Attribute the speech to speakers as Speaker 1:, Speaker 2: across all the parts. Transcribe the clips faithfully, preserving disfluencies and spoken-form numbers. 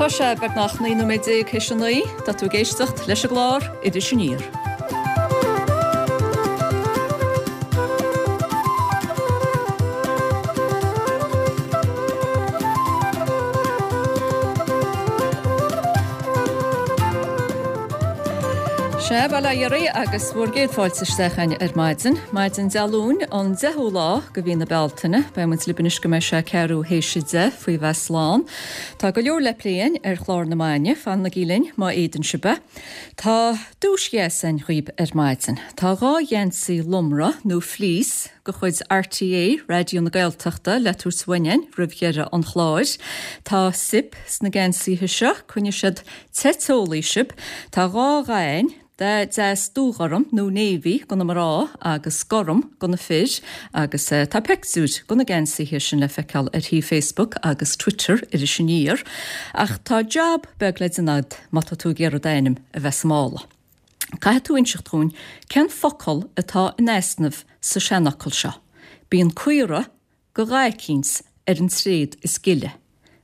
Speaker 1: Tá sé beagnach naoi nóiméad déag théis a naoi, tá tú ag éisteacht leis an gclár Iris Aniar. Sea, bail ó Dhia oraibh agus bhur gcéad fáilte isteach againn ar maidin. Maidin Dé Luain, an deichiú lá de mhí na Bealtaine. Beidh muid libh anois go mbeidh sé ceathrú théis a deich faoi bheith slán. Tá go leor le plé againn ar chlár na maidine, fanaigí linn má fhéadann sibh é. Tá duais dheas againn dhaoib ar maidin. Tá dhá gheansaí lomra nó fleece de chuid RTÉ, Raidió na Gaeltachta, le tabhairt uainn againn roimh dheireadh an chláir. Tá sip sna geansaithe seo, coinneoidh siad te teolaí sibh. Tá dhá dhath againn, dath deas dúghorm nó navy do na mná agus gorm do na fir agus tá pictiúir de na geansaithe sin le feiceáil ar shuíomh Facebook agus Twitter Iris Aniar. Ach tá jab beag le déanamh agat má tá tú ag iarraidh d'ainm a bheith sa mála. Caithfidh tú inseacht dhúinn cén focal atá in easnamh sa seanfhocal seo. Bíonn caora de dhath eicínt ar an tréad is gile.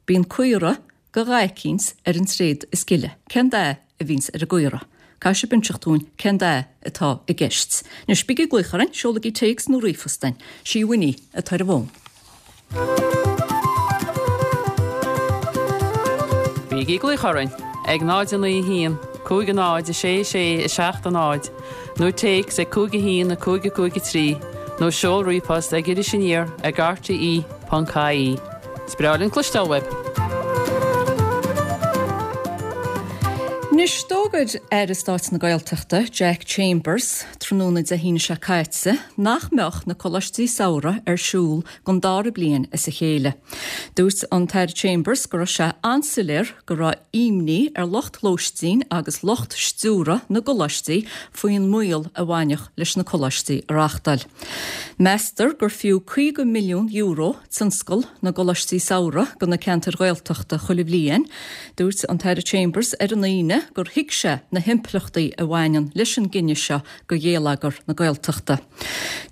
Speaker 1: Bíonn caora de dhath eicínt ar an tréad is gile. Cén dath a bhíonns ar an gcaora? Caithfidh sibh inseacht dúinn cén dath atá i gceist. Anois, bígí ag glaoch orainn, seolaigí téacs nó ríomhphost chugainn. Sí Winnie atá ar an bhfón.
Speaker 2: Bígí ag glaoch orainn ag náid a naoi a haon, cúig a náid, a sé a sé, a seacht a náid, nó téacs ag cúig a haon, a cúig a cúig a trí, nó seol ríomhphost ag Iris Aniar ag rte ponc ie. Is breá linn cloisteáil uaibh!
Speaker 1: Anois, d'fhógair Aire Stáit na Gaeltachta, Jack Chambers, tráthnóna Dé hAoine seo caite nach mbeadh na coláistí samhraidh ar siúl don dara bliain as a chéile. Dúirt an tAire Chambers go raibh sé an-soiléir go raibh imní ar lucht lóistín agus lucht stiúradh na gcoláistí faoin mbaol a bhainfeadh leis na coláistí a reáchtáil. Meastar gur fiú caoga milliún euro tionscal na gcoláistí samhraidh do na ceantair Ghaeltachta chuile bhliain. Dúirt an tAire Chambers ar an Aoine gur thuig sé na himpleachtaí a bhaineann leis an gcinneadh seo do gheilleagar na Gaeltachta.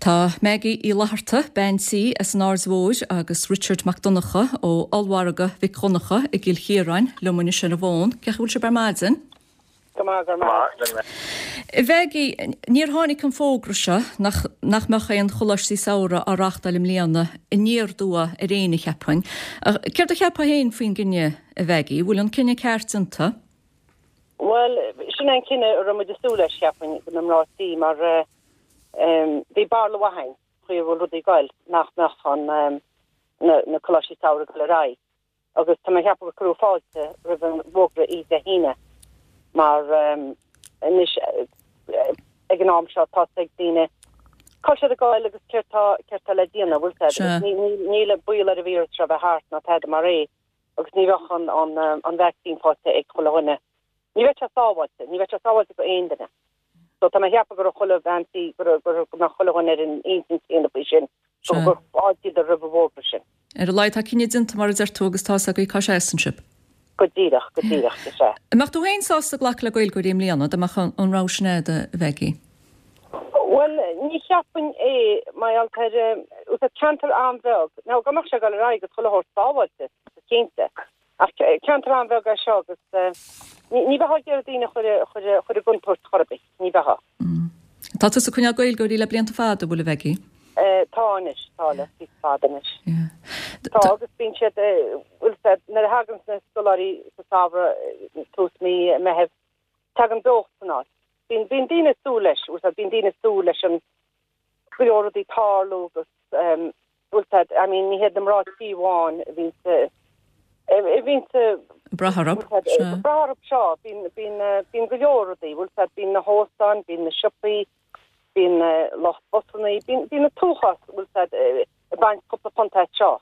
Speaker 1: Tá Maggie Uí Fhlatharta, bean tí as an Aird Mhóir agus Richard Mac Donncha ó Ollmhargadh Mhic Dhonncha i gCill Chiaráin liom anois ar an bhfón. Cén chaoi a bhfuil sibh ar maidin?
Speaker 3: Go maith, go maith.
Speaker 1: A Mhaggie, níor tháinig an fógra seo nach nach mbeadh aon choláistí samhraidh á reáchtáil i mbliana aniar aduaidh ar éinne, cheapfainn. Céard a cheapfá féin faoin gcinneadh, a Mhaggie? Bhfuil an cinneadh ceart déanta?
Speaker 3: Bhuel, sin é an cinneadh a raibh muid ag súil leis, cheapfainn, na mná tí, mar bhí barúil mhaith againn, chaoi a bhfuil rudaí ag goil, nach mbeadh an, na coláistí samhraidh ag goil ar aghaidh. Agus tá mé ag ceapadh gur cuireadh fáilte roimh an bhfógra oíche Dé hAoine, mar anois ag an am seo tá 's ag daoine cá bhfuil siad ag goil agus céard tá, céard tá le déanamh, bhfuil 's a'd. Agus níl baol ar an víreas seo bheith thart ná tada mar é. agus ní bheadh an an an vacsaín faighte ag chuile dhuine. Ní bheadh sé sábháilte, ní bheadh sé sábháilte do aon duine. So tá mé ag ceapadh go raibh chuile bhean tí, go raibh go raibh go mbeadh chuile dhuine ar an intinn chéanna faoi sin, go gur fháiltíodar roimh an bhfógra sin.
Speaker 1: Ar a laghad tá cinneadh déanta, mar a deir tú, agus tá's agaibh cá seasann sibh.
Speaker 3: Go díreach, go díreach, is ea.
Speaker 1: An mbeadh tú féin sásta glacadh le Gaeilgeoirí i mbliana, dá mbeadh an rogha sin a'd, a Mhaggie?
Speaker 3: Bhuel, ní cheapfainn é, mar gheall ar, is ceantar an-bheag, now dá mbeadh sé ag dul ar aghaidh agus chuile shórt sábháilte, go cinnte, ach ceantar an-bheag é seo agus ní bheifeá ag iarraidh daoine a chur, a chur, a chur i gcontúirt chor ar bith, ní bheifeá.
Speaker 1: Tá tusa ag coinneáil Gaeilgeoirí le blianta fada, an bhfuil, a Mhaggie?
Speaker 3: Tá anois, tá le píosa fada anois. Tá agus bíonn siad, bhfuil 's a'd, nuair a thagann na scoláirí sa samhradh, tús mí Meithimh, tagann beocht san áit. Bíonn, bíonn daoine ag súil leis, bhfuil 's a'd, bíonn daoine ag súil leis an go leor rudaí tarlú agus bhfuil 's a'd, I mean ní hiad na mná tí amháin a bhíonn sa, a bhíonn sa,
Speaker 1: Brath orthu,
Speaker 3: sea. Brath orthu seo, bíonn, bíonn, bíonn go leor rudaí, bhfuil 's a'd, bíonn na hóstáin, bíonn na siopaí, bíonn lucht busannaí, bíonn, bíonn an t-uafás, bhfuil 's a'd, ag baint cúpla punt as seo.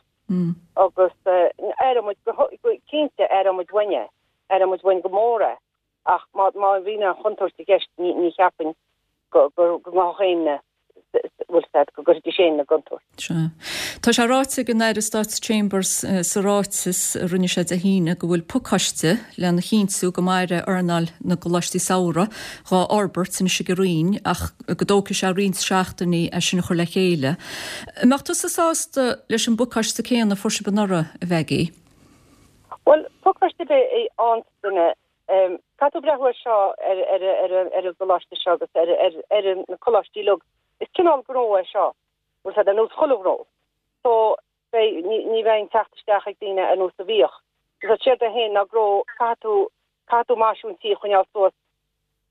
Speaker 3: Agus aireoidh muid go, go cinnte aireoidh muid uainn é, aireoidh muid uainn go mór é. Ach má bhíonn aon chontúirt i gceist, ní cheapfainn go ngabhfadh éinne, bhfuil 's a'd, go gcuirfidís éinne i gcontúirt.
Speaker 1: Sea. Tá sé ráite ag an Aire Stáit Chambers sa ráiteas a rinne sé Dé hAoine go bhfuil pacáiste lena chinntiú go mairfidh earnáil na gcoláistí samhraidh dhá fhorbairt anois ag an Roinn ach go dtógfaidh sé roinnt seachtainí é sin a chur le chéile. An mbeadh tusa sásta leis an bpacáiste céanna a fuair sibh anuraidh, a Mhaggie?
Speaker 3: Bhuel, pacáiste ar bith a fhaigheann duine, caithfidh tú breathnú air seo ar ar ar ar an gcoláiste seo agus ar ar ar na coláistí uilig. Is cineál gnó é seo, bhfuil a fhios agat, ar nós chuile ghnó. So, beidh, ní ní bheidh an teacht isteach ag daoine ar nós a bhíodh. Agus séard é féin ná gnó, caithfidh tú, caithfidh tú maisiú an tí a choinneáil suas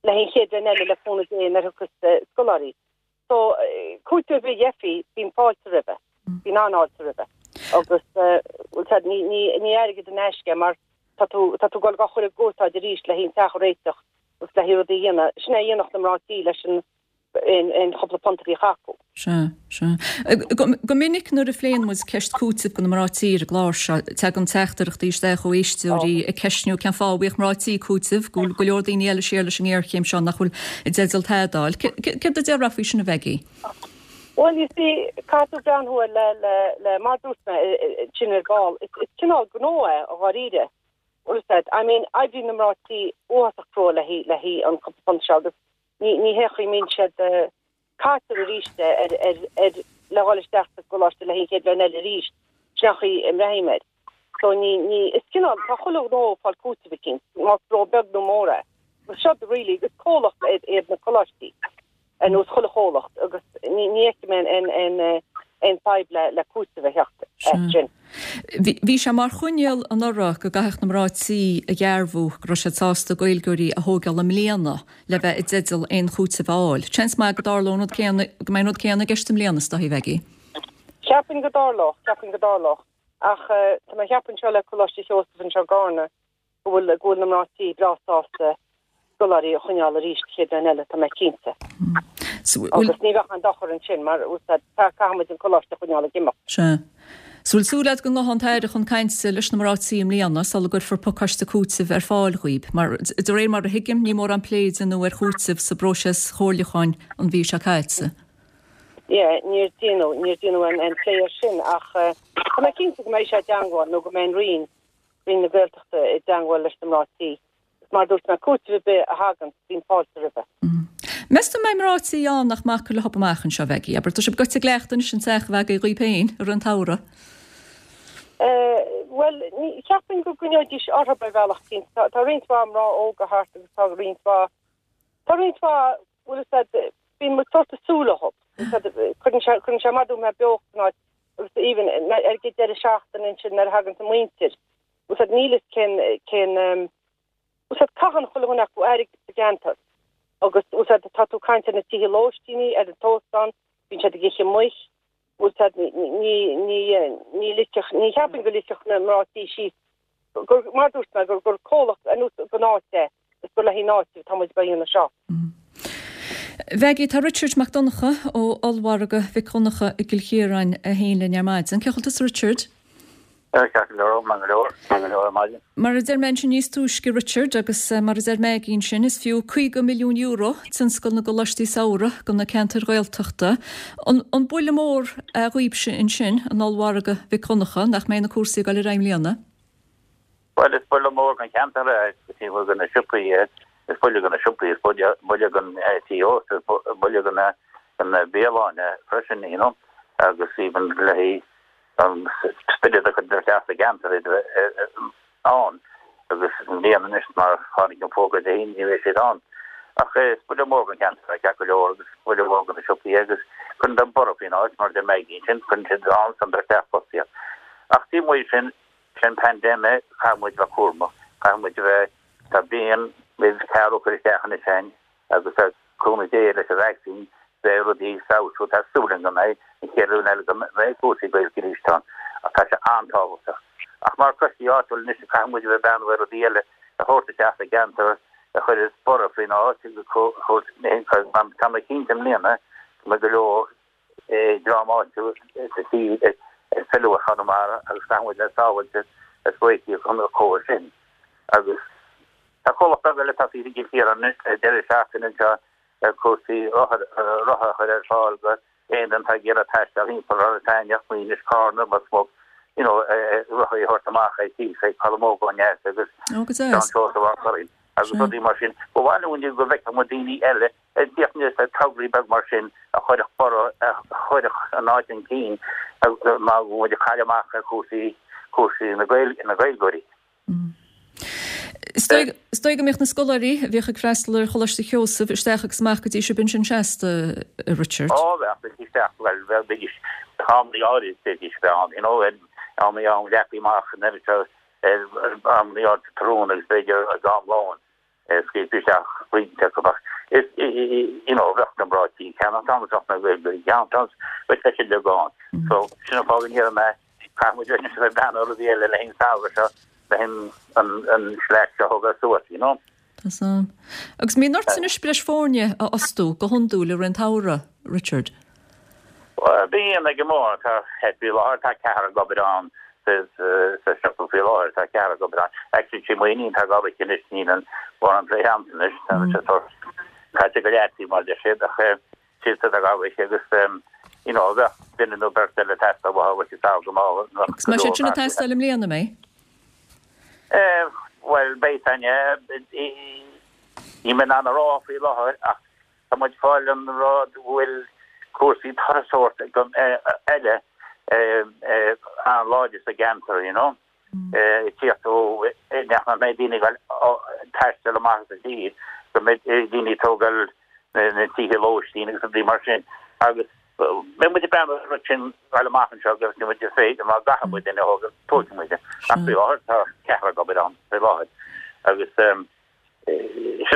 Speaker 3: le haghaidh an chéad bhliain eile le cúnamh Dé nuair a thiocfas scoláirí. So, cúiteamh ar bith a gheofaí, bíonn fáilte roimhe. Bíonn an-fháilte roimhe. Agus, bhfuil a fhios agat, ní, ní, ní airgead in aisce é mar tá tú, tá tú ag dul á chur i gcúrsáid arís le haghaidh an teach a réiteach agus le haghaidh rudaí a dhéanamh. Sin é a dhéanfadh na mná tí leis an, aon, aon chúpla punt a bhíodh acu.
Speaker 1: Sea, sea. Go minic nuair a phléann muid ceist cúitimh do na mná tí ar an gclár seo, tagann teachtaireachtaí isteach ó éisteoirí ag ceistniú cén fáth a bhfaigheadh mná tí cúiteamh, go bhfuil go leor daoine eile siar leis an ngéarchéim seo nach bhfuil i dteideal tada a fháil. Céard a déarfá faoi sin, a Mhaggie?
Speaker 3: Bhuel, you see, caithfidh tú breathnú air le, le, le, mar dúirt mé, sin ar ball, is, is cineál gnó é, i dháiríre. Bhfuil a fhios agat, I mean, oibríonn na mná tí uafásach crua le haghaidh, le haghaidh an cúpla punt seo agus ní, ní hé chaoi a mbíonn siad, caitear arís é ar, ar, ar, le dhul isteach sa gcoláiste le haghaidh an chéad bhliain eile arís, sin an chaoi a mbreathnaím air. So ní, ní, is cineál, tá chuile ghnó ag fáil cúiteamh eicínt, más gnó beag nó mór é. Agus seo really, is comhlacht iad na coláistí, ar nós chuile chomhlacht, agus ní, ní fheicim aon, aon, aon, aon fadhb le, le cúiteamh a theacht as sin.
Speaker 1: Bhí, bhí sé mar choinníoll anuraidh go gcaithfeadh na mná tí a dhearbhú go raibh siad sásta Gaeilgeoirí a thógáil i mbliana le bheith i dteideal aon chúiteamh a fháil. Seans maith go dtarlódh an rud céanna, go mbeidh an rud céanna i gceist i mbliana, is dóigh, Mhaggie.
Speaker 3: Cheapfainn go dtarlódh, cheapfainn go dtarlódh. Ach tá mé ag ceapadh anseo le Coláiste Sheosaimh anseo i gCarna go bhfuil, go bhfuil na mná tí breá sásta scoláirí a choinneáil arís an chéad bhliain eile, tá mé cinnte. Agus ní bheadh aon dochar ansin mar caithfidh muid an coláiste a choinneáil ag imeacht.
Speaker 1: Sea. So bhfuil súil agat go ngabhfaidh an tAire chun cainte leis na mná tí i mbliana sula gcuirfear pacáiste cúitimh ar fáil dhaoib? Mar de réir mar a thuigim, ní mórán plé a déanadh ar chúiteamh sa bpróiseas chomhairliúcháin an mhí seo caite.
Speaker 3: Yeah, níor déanadh, níor déanadh an plé air sin ach tá mé cinnte go mbeidh sé i dteangmháil nó go mbeidh an Roinn, Roinn na Gaeltachta i dteangmháil leis na mná tí. Mar dúirt mé, cúiteamh ar bith a thagann, bíonn fáilte roimhe.
Speaker 1: Meas tú an mbeidh mná tí ann nach mbeadh acu le hobair amach anseo, Mhaggie? Abair, tá sibh gaibhte i gcleachtadh anois an teach a bheith agaibh dhaoib féin i rith an tsamhraidh?
Speaker 3: Bhuel, ní, cheapfainn go gcoinneoidís orthu ar bhealach eicínt. Tá, tá roinnt mhaith mná óga thart agus tá roinnt mhaith, tá roinnt mhaith, bhfuil a fhios agat, bíonn muid sort of súil orthu. Cuireann sé, cuireann sé maith dúinn beocht san áit agus even ar an deireadh seachtaine ansin nuair a thagann an mhuintir. Bhfuil a fhios agat, níl fhios cén, cén, bhfuil a fhios agat, caitheann chuile dhuine acu airgead sa gceantar agus bhfuil a fhios agat, tá tú ag caint ar na tithe lóistíní, ar an t-óstán, bíonn siad ag ithe amuigh, bhfuil a fhios agat, ní, ní, ní ligfeadh, ní cheapfainn go ligfeadh na mná tí síos, gur, mar dúirt mé, gur, gur comhlacht ar nós don áit é, is gur le haghaidh an áit atá muid ag déanamh seo.
Speaker 1: Mhaggie, tá Richard Mac Donncha ó Ollmhargadh Mhic Dhonncha i gCill Chiaráin féin linn ar maidin. Cén chaoi a bhfuil tusa, Richard?
Speaker 4: Ceart go leor, maith go leor, maith go leor ar maidin.
Speaker 1: Mar a deir mé ansin níos túisce, Richard, agus mar a deir Maggie ansin, is fiú caoga milliún euro tionscal na gcoláistí samhraidh do na ceantair Ghaeltachta. An, an buille mór é dhaoibhse ansin, in Ollmhargadh Mhic Dhonncha, nach mbeidh na cúrsaí ag dul ar aghaidh i mbliana?
Speaker 4: Bhuel, is buille mór don cheantar é, is buille do na siopaí é, is buille do na siopaí, is buille, buille don tí ósta, is buille do na, do na bialanna freisin, you know, agus even le haghaidh an spiorad a chur isteach sa gceantar ann agus i mbliana anois mar tháinig an fógra Dé hAoine ní bheidh siad ann. Ach is buille mór don cheantar é ceart go leor agus buille mór do na siopaí agus cuireann an borradh faoin áit mar a deir Maggie ansin, cuireann siad an-suim isteach fostaíocht. Ach taobh amuigh sin, sin paindéim caithfidh muid bheith cúramach, caithfidh muid a bheith, tá bliain roimh ceathrú cur isteach anois againn agus tá cúnamh Dé leis an vaccine beidh rudaí ag feabhsú, tá súil againn go mbeidh an chéad rud eile go mbeidh cúrsaí Gaeilge arís ann ach tá sé an-tábhachtach. Ach mar choistí áitiúil anois caithfidh muid a bheith ag breathnú ar rudaí eile a thabhairt isteach sa gceantar a chuirfeas borradh faoin áit agus tá mé cinnte i mbliana go mbeidh go leor dream áitiúil sa tír ag filleadh ar Chonamara agus caithfidh muid a bheith sábháilte is réitithe chun na comhair sin. Agus tá comhlacht beag eile tosaithe i gCill Chiaráin anois le deireadh seachtaine anseo ar cúrsaí rothair rotha a chur ar fáil go aon duine atá ag iarraidh taisteal thimpeall Ros Eithneach, Maínis, Carna, Ros Muc, you know, rothaí a thabhairt amach ag tíos ag Colm Óg ó dheas agus
Speaker 1: Ó, go
Speaker 4: Seán
Speaker 1: deas.
Speaker 4: Seosamh Ó Curraoin agus
Speaker 1: Sea.
Speaker 4: rudaí mar sin. Ba mhaith linn go bhfeicfeadh muid daoine eile ag tíocht aníos le tograí beag mar sin a chuirfeadh borradh, a chuirfeadh an áit chun cinn mar go bhfuil muid ag cailleadh amach ar chúrsaí, cúrsaí na Gaeilge, na Gaeilgeoirí.
Speaker 1: Is dóigh go mbeadh na scoláirí a bhíodh ag freastal ar Choláiste Sheosaimh isteach agus amach go dtí sibh ansin seasta, a Richard.
Speaker 4: Ó, bheadh, bheidís isteach, bhuel, bheidís, amannaí áirid bheidís bheith ann, you know, amannaí am leagtha amach an oiread seo, amannaí áirid tráthnóna agus b'fhéidir ag am lóin, scaoilfí isteach roinnt acu ach is, you know, bheadh na mná tí cheana ann, bheadh na Gaeilgeoirí cheana ann, bheadh sé sin uilig ann. So, sin an fáth go ndéarfaidh mé, caithfidh muid anois a bheith ag breathnú ar rudaí eile le haghaidh an samhradh seo, le haghaidh an, an slack seo a thógáil suas, you know.
Speaker 1: Tá 's a'm. Agus an mbíonn ort anois breis foirne a fhostú go hiondúil i rith an tsamhraidh, Richard?
Speaker 4: Bhuel, bíonn ag an mór, tá, faoi láthair tá ceathrar ag obair ann sa, sa siopa faoi láthair, tá ceathrar ag obair ann. Actually, sí m'iníon atá ag obair anois, níl an mórán plé a'msa anois, tá sé sórt caite go leataobh mar deir siad, ach sí atá ag obair agus you know, bheadh duine nó beirt eile ag teastáil uathu, bheadh siad go maith,
Speaker 1: Agus go mbeidh siad sin ag teastáil i mbliana, an mbeidh?
Speaker 4: Bhuel, beidh Tanya, níl mé in ann a rá faoi láthair ach tá muid ag fáil an rud go bhfuil cúrsaí turasóireachta eile an-láidir sa gceantar, you know. Ag tíocht ó nach mbeidh daoine ag taisteal amach as an tír, go mbeidh daoine ag tógáil na tithe lóistín agus rudaí mar sin agus beidh muid ag breathnú ar an rud sin dul amach anseo agus níl muid ag féidir má gcaithfidh muid duine a thógáil, tógfaidh muid é. Ach faoi láthair tá ceathrar ag obair ann faoi láthair agus sin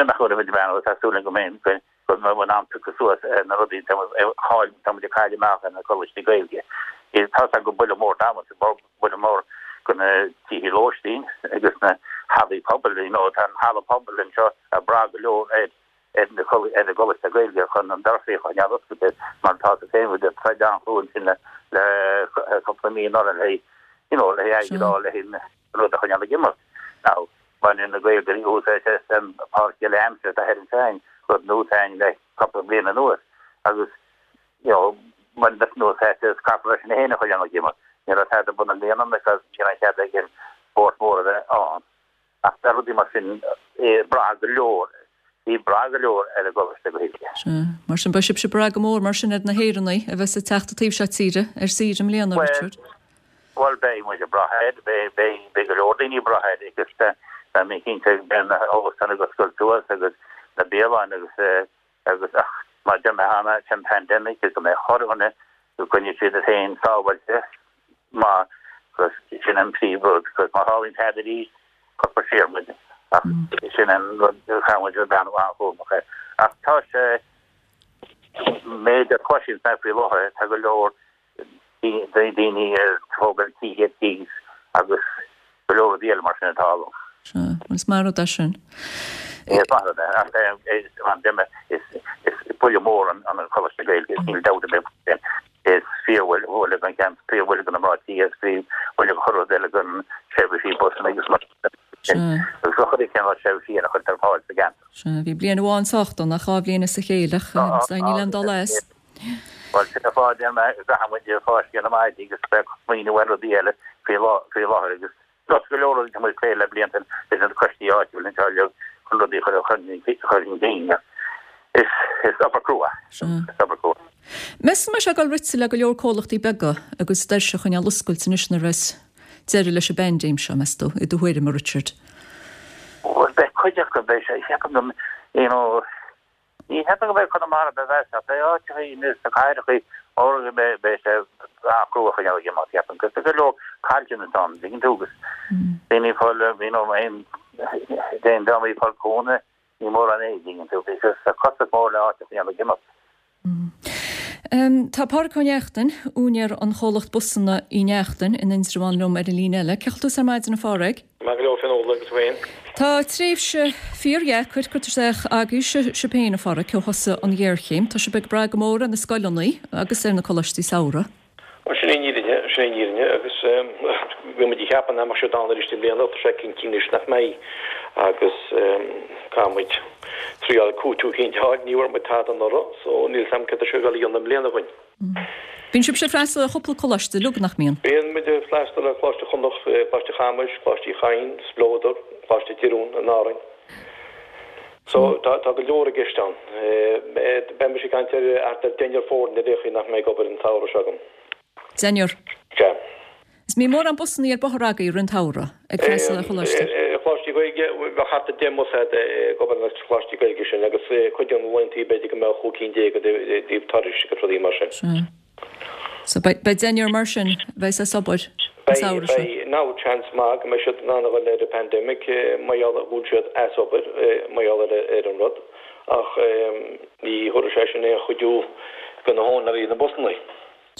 Speaker 4: an chaoi a bhfuil muid ag breathnú, tá súil agam go mbeidh go mbeidh muid in ann piocadh suas ar na rudaí tá muid ag cailleadh amach ar na coláistí Gaeilge. Tá sé go buille mór domsa, buille mór go na tithe lóistín agus na hallaí pobail, you know, tá an halla pobail anseo ag brath go leor ar ar na ar na gcoláiste Gaeilge chun an doras a choinneáil oscailte mar tá tú féin with troid an-chrua ansin le le cúpla mí anuraidh le you know le airgead a fháil le an rud a choinneáil ag imeacht. Now baineann na Gaeilgeoirí úsáid as an páirc eile aimsire atá thoir ansin, rud nua atá ann le cúpla bliain anuas agus you know baineann siad úsáid as caithfear leis sin féin a choinneáil ag imeacht. Ní raibh tada ar bun i mbliana because ní raibh cead ag an spórt mór a bheith ann. Ach tá rudaí mar sin ag brath go leor, ag brath go leor ar an gColáiste Gaeilge.
Speaker 1: Sea. Mar sin, beidh sibhse ag brath go mór mar sin ar na hÉireannaigh a bheas ag teacht an taobh seo tíre ar saoire i mbliana, Richard.
Speaker 4: Bhuel, beidh muid ag brath air, beidh, beidh, beidh go leor daoine ag brath air agus tá mé cinnte beidh na hóstáin ag oscailt suas agus na bialanna agus, agus ach mar a deir mé cheana, sin pandemic agus go mbeidh chuile dhuine go gcoinneoidh siad iad féin sábháilte. maith agus sin an príomh rud agus má tharlaíonn tada arís cuirfear siar muid ach sin an rud a chaithfidh muid a bheith an-chúramach air. Ach tá sé méid a chloiseann mé faoi láthair tá go leor daoine ag tógáil tithe ar cíos agus go leor rudaí eile mar sin atá ann.
Speaker 1: Sea, is maith an rud é sin.
Speaker 4: Is maith an rud é ach is is buille mór an Coláiste Gaeilge níl dabht ar bith faoi sin. Is fíorbhuille don cheantar, fíorbhuille do na mná tí agus fíorbhuille do chuile rud eile don seirbhísí busanna agus mar sin. Agus do chuile chineál seirbhísí eile a chuirtear ar fáil sa gceantar.
Speaker 1: Sea, bhí bliain amháin sách dona, ach dhá bhliain as a chéile, ach níl aon dul as.
Speaker 4: Bhuel, sin an fáth a deir mé go gcaithfidh muid fáisceadh na maidí agus bheith ag smaoineamh ar rudaí eile faoi láthair agus Tá go leor rudaí atá muid ag plé le blianta leis na coistí áitiúla anseo uilig chun rudaí a chur chun cinn. Is is obair crua. Is obair crua.
Speaker 1: Meas tú an mbeidh sé ag dul rite le go leor comhlachtaí beaga a gcuid doirse a choinneáil oscailte anois nuair a bheas deireadh leis an bpaindéim seo, meas tú, i do thuairim, a Richard?
Speaker 4: Bhuel, beidh cuid acu, beidh sé, ceapaim go, you know, Ní cheapaim go mbeidh Conamara beidh ach beidh áiteachaí sna cathrachaí móra go mbeidh beidh sé an-chrua a choinneáil ag imeacht ceapaim agus tá go leor caillteanas ann tuigeann tú agus daoine ag fáil you know aon aon drámaí ag fáil cúnamh ní mórán é tuigeann tú because tá costas mór le áit a choinneáil ag imeacht.
Speaker 1: Tá Pádraic Ó Neachtain, úinéir an chomhlacht busanna Uí Neachtain in Indreabhán liom ar an líne eile. Cén chaoi a bhfuil tusa ar maidin a Phádraig?
Speaker 5: Maith go leor Fionnuala agus tú féin?
Speaker 1: Tá tréimhse fíordheacair curtha isteach agaibhse sibh féin a Phádraig ó thosaigh an ghéarchéim. Tá sibh ag brath go mór ar na scoileanna agus ar na coláistí samhraidh.
Speaker 5: Bhuel sin é an fhírinne, sin é an fhírinne agus bhí muid ag ceapadh nach mbeadh siad ann arís i mbliana ach tá sé cinnte anois nach mbeidh agus caithfidh muid triáil cúiteamh eicínt a fháil, ní bhfuair muid tada anuraidh so níl 's a'm céard tá sé ag dul a dhéanamh i mbliana dhúinn.
Speaker 1: Bíonn sibhse ag freastal ar chúpla coláiste uilig, nach mbíonn?
Speaker 5: Bíonn muid ag freastal ar Choláiste Chonnacht, Coláiste Chamuis, Coláiste Uí Chadhain, Spleodar, Coláiste Oiriall in Árainn. So tá tá go leor i gceist ann. Beidh mise ag caint ar thart ar deichniúr foirne ar aon chaoi nach mbeidh ag obair an samhradh seo againn.
Speaker 1: Deichniúr?
Speaker 5: Sea.
Speaker 1: Is mbíonn mórán busannaí ar bóthar agaibh i rith an tsamhraidh ag freastal ar choláiste.
Speaker 5: Choláistí Gaeilge, bheadh thart ar deich mbus a'd ag obair na Coláistí Gaeilge sin agus cuid de na laethanta b'fhéidir go mbeadh chúig cinn déag i dtaobh turais agus rudaí mar sin.
Speaker 1: Sea. So beidh deichniúr mar sin a bheas as obair an
Speaker 5: Beidh,
Speaker 1: samhradh seo.
Speaker 5: beidh. Now seans maith go mbeidh siad in ann a dhul ar an pandemic mar gheall go bhfuil siad as obair mar gheall ar ar an rud ach ní thabharfaidh sé sin aon chuidiú do na húinéirí na busannaí.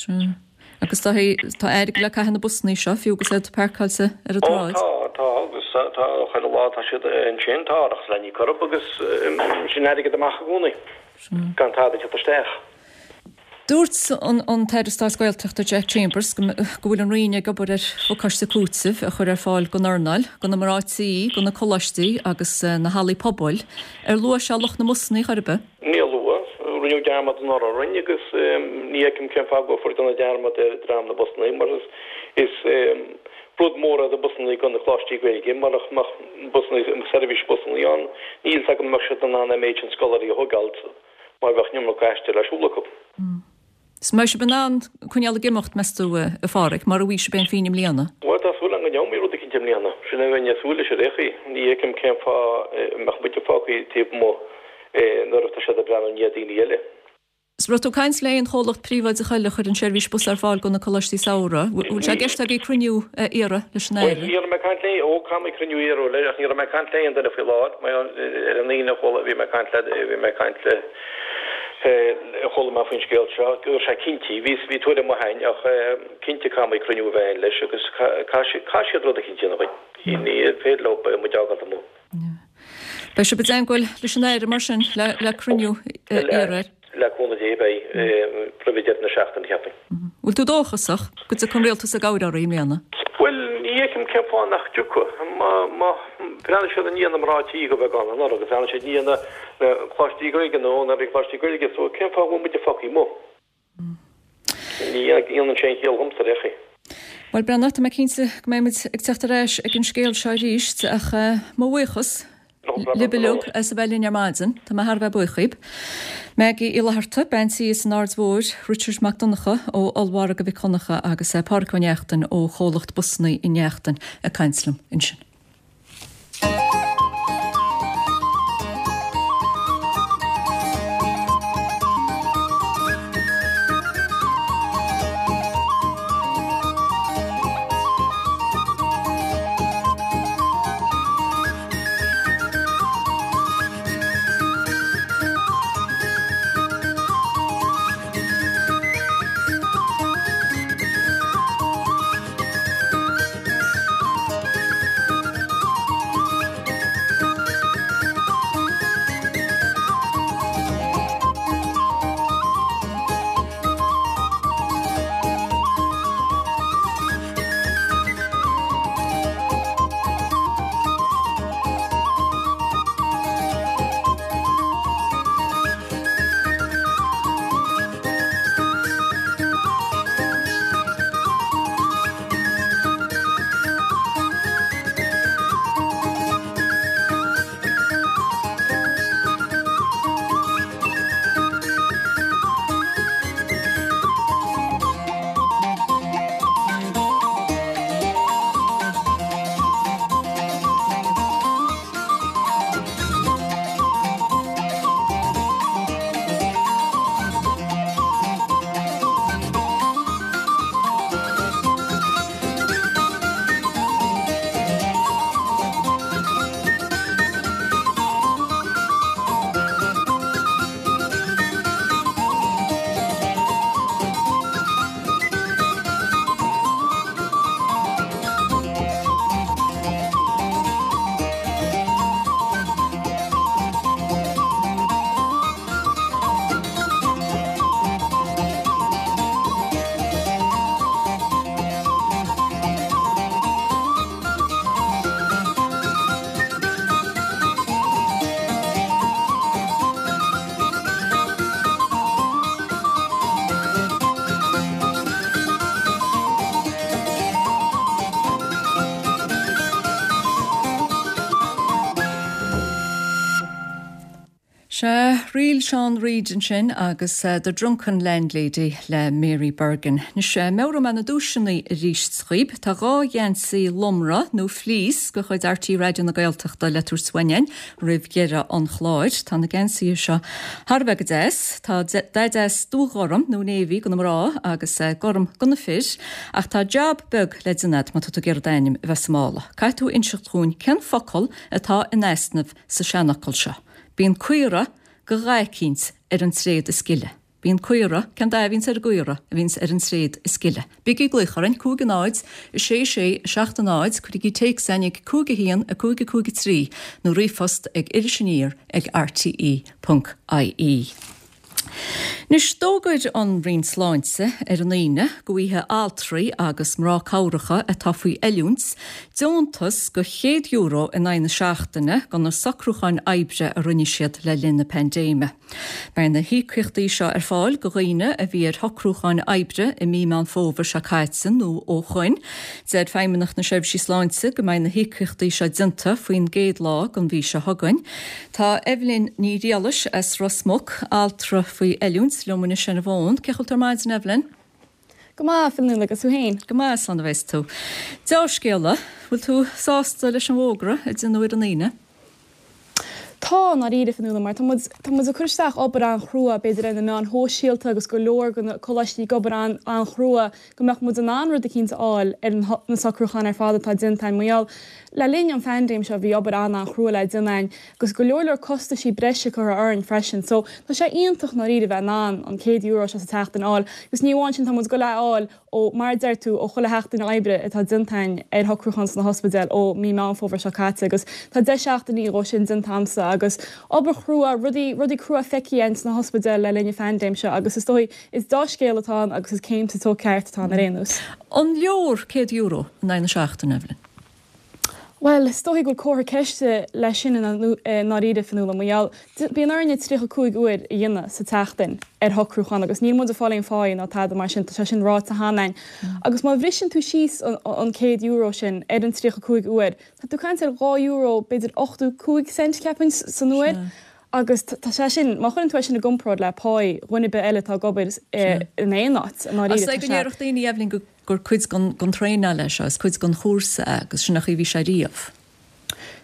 Speaker 1: Sea. Agus tá tá airgead le caitheamh na busannaí seo, fiú agus iad páirceáilte ar an
Speaker 5: Ó
Speaker 1: tsráid.
Speaker 5: tá, tá, agus tá, chuile lá tá siad ansin, tá árachas le n-íoc orthu agus sin airgead amach i gcónaí, gan tada ag teacht isteach.
Speaker 1: Dúirt an an tAire Stáit Gaeltachta Jack Chambers go go bhfuil an Roinn ag obair ar phacáiste cúitimh a chur ar fáil don earnáil, do na mná tí, do na coláistí agus na hallaí pobail. Ar luaigh sé lucht na mbusannaí chor ar bith?
Speaker 5: Níor luadh. Rinneadh dearmad anuraidh orainn agus ní fheicim cén fáth go bhfuil déanamh dearmad ar dream na busannaí mar is rud mór iad na busannaí do na coláistí Gaeilge. Murach mbeadh busannaí, seirbhís busannaí ann, níl fhios agam an mbeadh siad in ann an méid sin scoláirí a thógáilt mar bheadh an iomarca aistir le siúl acu.
Speaker 1: Is mbeidh sibh in ann coinneáil ag imeacht, meas tú, a Pháraic, mar a bhí sibh féin i mbliana?
Speaker 5: Bhuel, tá súil agam go ndéanfaidh rud eicínt i mbliana. Sin é a bheinn ag súil leis ar aon chaoi. Ní fheicim cén fáth a mbeadh muide fágtha taobh amuigh nuair atá siad ag breathnú i ndiaidh daoine eile.
Speaker 1: Is raibh tú ag caint le aon chomhlacht príobháideach eile a chuireann seirbhís bus ar fáil do na coláistí samhraidh. Bhfuil sé i gceist agaibh cruinniú a iarraidh leis an
Speaker 5: Bhuel,
Speaker 1: Aire?
Speaker 5: ní raibh mé ag caint le, ó, caithfidh mé cruinniú a iarraidh leis, ach ní raibh mé ag caint le aon duine faoi láthair. Mar ar an Aoine a chuala, bhí mé ag caint le, bhí mé ag caint le, Chuala mé faoin scéal seo go raibh sé cinnte, bhí bhí tuairim maith a'inn ach cinnte caithfidh muid cruinniú a bheith a'inn leis agus caithfidh siad rud eicínt a dhéanamh dhuinn. Ní féidir leo muid a fhágáilt amuigh.
Speaker 1: Beidh sibh i dteagmháil leis an Aire mar sin le le cruinniú a iarraidh air?
Speaker 5: Le cúnamh Dé beidh, roimh deireadh na seachtaine cheapfainn.
Speaker 1: Bhfuil tú dóchasach go dtiocfaidh an rialtas i gcabhair oraibh i mbliana?
Speaker 5: Bhuel, ní fheicim cén fáth nach dtiocfadh. Má bhreathnaigh siad i ndiaidh na mná tí go bheagán anuraidh agus bhreathnaigh siad i ndiaidh na coláistí Gaeilge, na húinéirí coláistí Gaeilge, so cén fáth a bhfuil muide fágtha amuigh? Ní dhéanann sé aon chiall dhomsa ar aon chaoi.
Speaker 1: Bhuel, Breandán, tá mé cinnte go mbeidh muid ag teacht ar ais ag an scéal seo arís, ach mo bhuíochas libh uilig as a bheith linn ar maidin. Tá mé thar a bheith buíoch dhaoib. Maggie Uí Fhlatharta, bean tí as an Aird Mhóir, Richard Mac Donncha ó Ollmhargadh Mhic Dhonncha agus Páraic Ó Neachtain ó chomhlacht Busanna Uí Neachtain ag caint liom ansin. Real Sean Reid ansin agus uh, The Drunken Landlady le Mary Bergin. Anois uh, meabhróidh mé na duaiseanna arís dhaoibh, tá dhá gheansaí lomra nó fleece de chuid R T É Raidió na Gaeltachta le tabhairt uainn roimh dheireadh an chláir. Tá na geansaithe seo thar a bheith go deas, Tá dath deas dúghorm nó navy do na mná agus uh, gorm do na fir, ach tá jab beag le déanamh má tá tú ag iarraidh d'ainm a bheith sa mála. Caithfidh tú inseacht dúinn cén focal atá in easnamh sa seanfhocal seo. Bíonn caora go dhaicínt ar an tréad is gile. Bíonn caora cén dath a bhíonns ar an gcaora a bhíonns ar an tréad is gile. Bígí ag glaoch orainn cúig a náid, sé sé seacht a náid, cuirigí téacs chugainn ag cúig a haon a cúig a cúig a trí nó ríomhphost ag Iris Aniar ag R T E ponc I E. Anois d'fhógair an Roinn Sláinte ar an Aoine go bhfaighidh altraí agus mná cabhracha atá faoi oiliúint deontas de chéad euro in aghaidh na seachtaine do na socrúcháin oibre a rinne siad le linn na paindéime. Beidh na híocaíochtaí seo ar fáil do dhaoine a bhí ar shocrúcháin oibre i mí Meán Fómhair seo caite nó ó shin. Deir Feidhmeannacht na Seirbhísí Sláinte go mbeidh na híocaíochtaí seo déanta faoin gcéad lá den mhí seo chugainn. Tá Evelyn Ní Rialais as Ros Muc, altra faoi oiliúint liom anois ar an bhfón, cén chaoi a bhfuil tú ar maidin, Evelyn?
Speaker 6: Go maith, Fionnuala, agus tú féin.
Speaker 1: Go maith san a bheas tú. Dea-scéala, bhfuil tú sásta leis an bhfógra a deineadh ar an Aoine?
Speaker 6: Tá dáiríre, Fionnuala, mar tá muid ag cur isteach obair an-chrua b'fhéidir ar na meáin shóisialta agus go leor de na coláistí ag obair an-chrua go mbeadh muid in ann rud eicínt a fháil ar na socrúcháin ar fad atá déanta mar gheall le linn an phaindéim seo bhí obair an-chrua le déanamh agus go leor leor costaisí breise curtha orainn freisin. So tá sé iontach dáiríre bheith in ann an céad euro seo sa tseachtain a fháil, agus ní amháin sin tá muid ag gabháil a fháil ó mar deir tú ó chuile sheachtain oibre atá déanta ar shocrúchán sna hospidéil ó mí Meán Fómhair seo caite agus tá deich seachtainí ó sin déanta agamsa agus obair chrua rudaí rudaí crua feicthe sna hospidéil le linn an phaindéim seo agus is dóigh is dea-scéal atá ann agus is céim sa treo ceart atá ar aon nós.
Speaker 1: An leor céad euro in aghaidh na seachtaine, Evelyn?
Speaker 6: Well, is dóigh go bhfuil comhartha ceiste leis sin dáiríre, Fionnuala, mar gheall bíonn orainne tríocha cúig uair a dhéanamh sa tseachtain ar shocrúchán agus níl muid ag fáil aon pháí ná tada mar sin tá sé sin ráite cheana. Agus má bhriseann tú síos an céad euro sin ar an tríocha cúig uair, Tá tú caint ar dhá euro b'fhéidir ochtó cúig cent ceapaim san uair. Agus tá sé sin má chuireann tú sin i gcomparáid le páí dhuine ar bith eile atá ag obair in aon áit.
Speaker 1: Go ndéarfadh daoine Evelyn go gur cuid den traenáil é seo, is cuid den chúrsa agus sin a bhí sé riamh.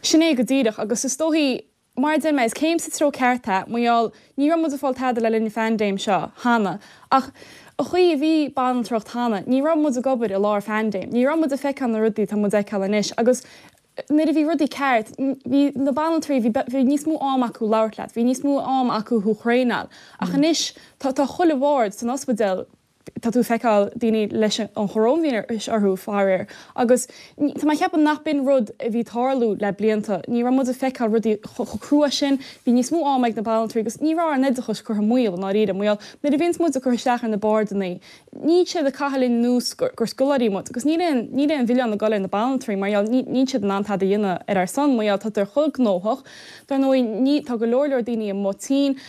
Speaker 6: Sin é go díreach agus is dóigh mar deir mé is céim sa treo ceart é mar gheall ní raibh muid ag fáil tada le linn phaindéim seo cheana ach an chaoi a bhí banaltracht cheana, ní raibh muid ag obair i lár phaindéim, ní raibh muid ag feiceáil na rudaí tá muid ag feiceáil anois agus nuair a bhí rudaí ceart bhí na banaltraí bhí níos mó am acu labhairt leat, bhí níos mó am acu thú a thraenáil. Ach anois tá tá chuile bhord san ospidéal tá tú feiceáil daoine leis an choróinvíreas orthu faraor. Agus tá mé ag ceapadh nach b'in rud a bhí ag tarlú le blianta, ní raibh muid ag feiceáil rudaí chomh crua sin, bhí níos mó am ag na banaltraí agus ní raibh ár n-oideachas curtha i mbaol dáiríre mar gheall nuair a bhíonns muid ag cur isteach ar na bordanna, níl siad ag caitheamh linn nós gur, gur scoláirí muid agus níl aon níl aon mhilleán ag dul ar na banaltraí mar gheall níl siad in ann tada a dhéanamh ar ár son mar gheall tá chomh gnóthach. Dar ndóigh ní tá go leor leor daoine amuigh tinn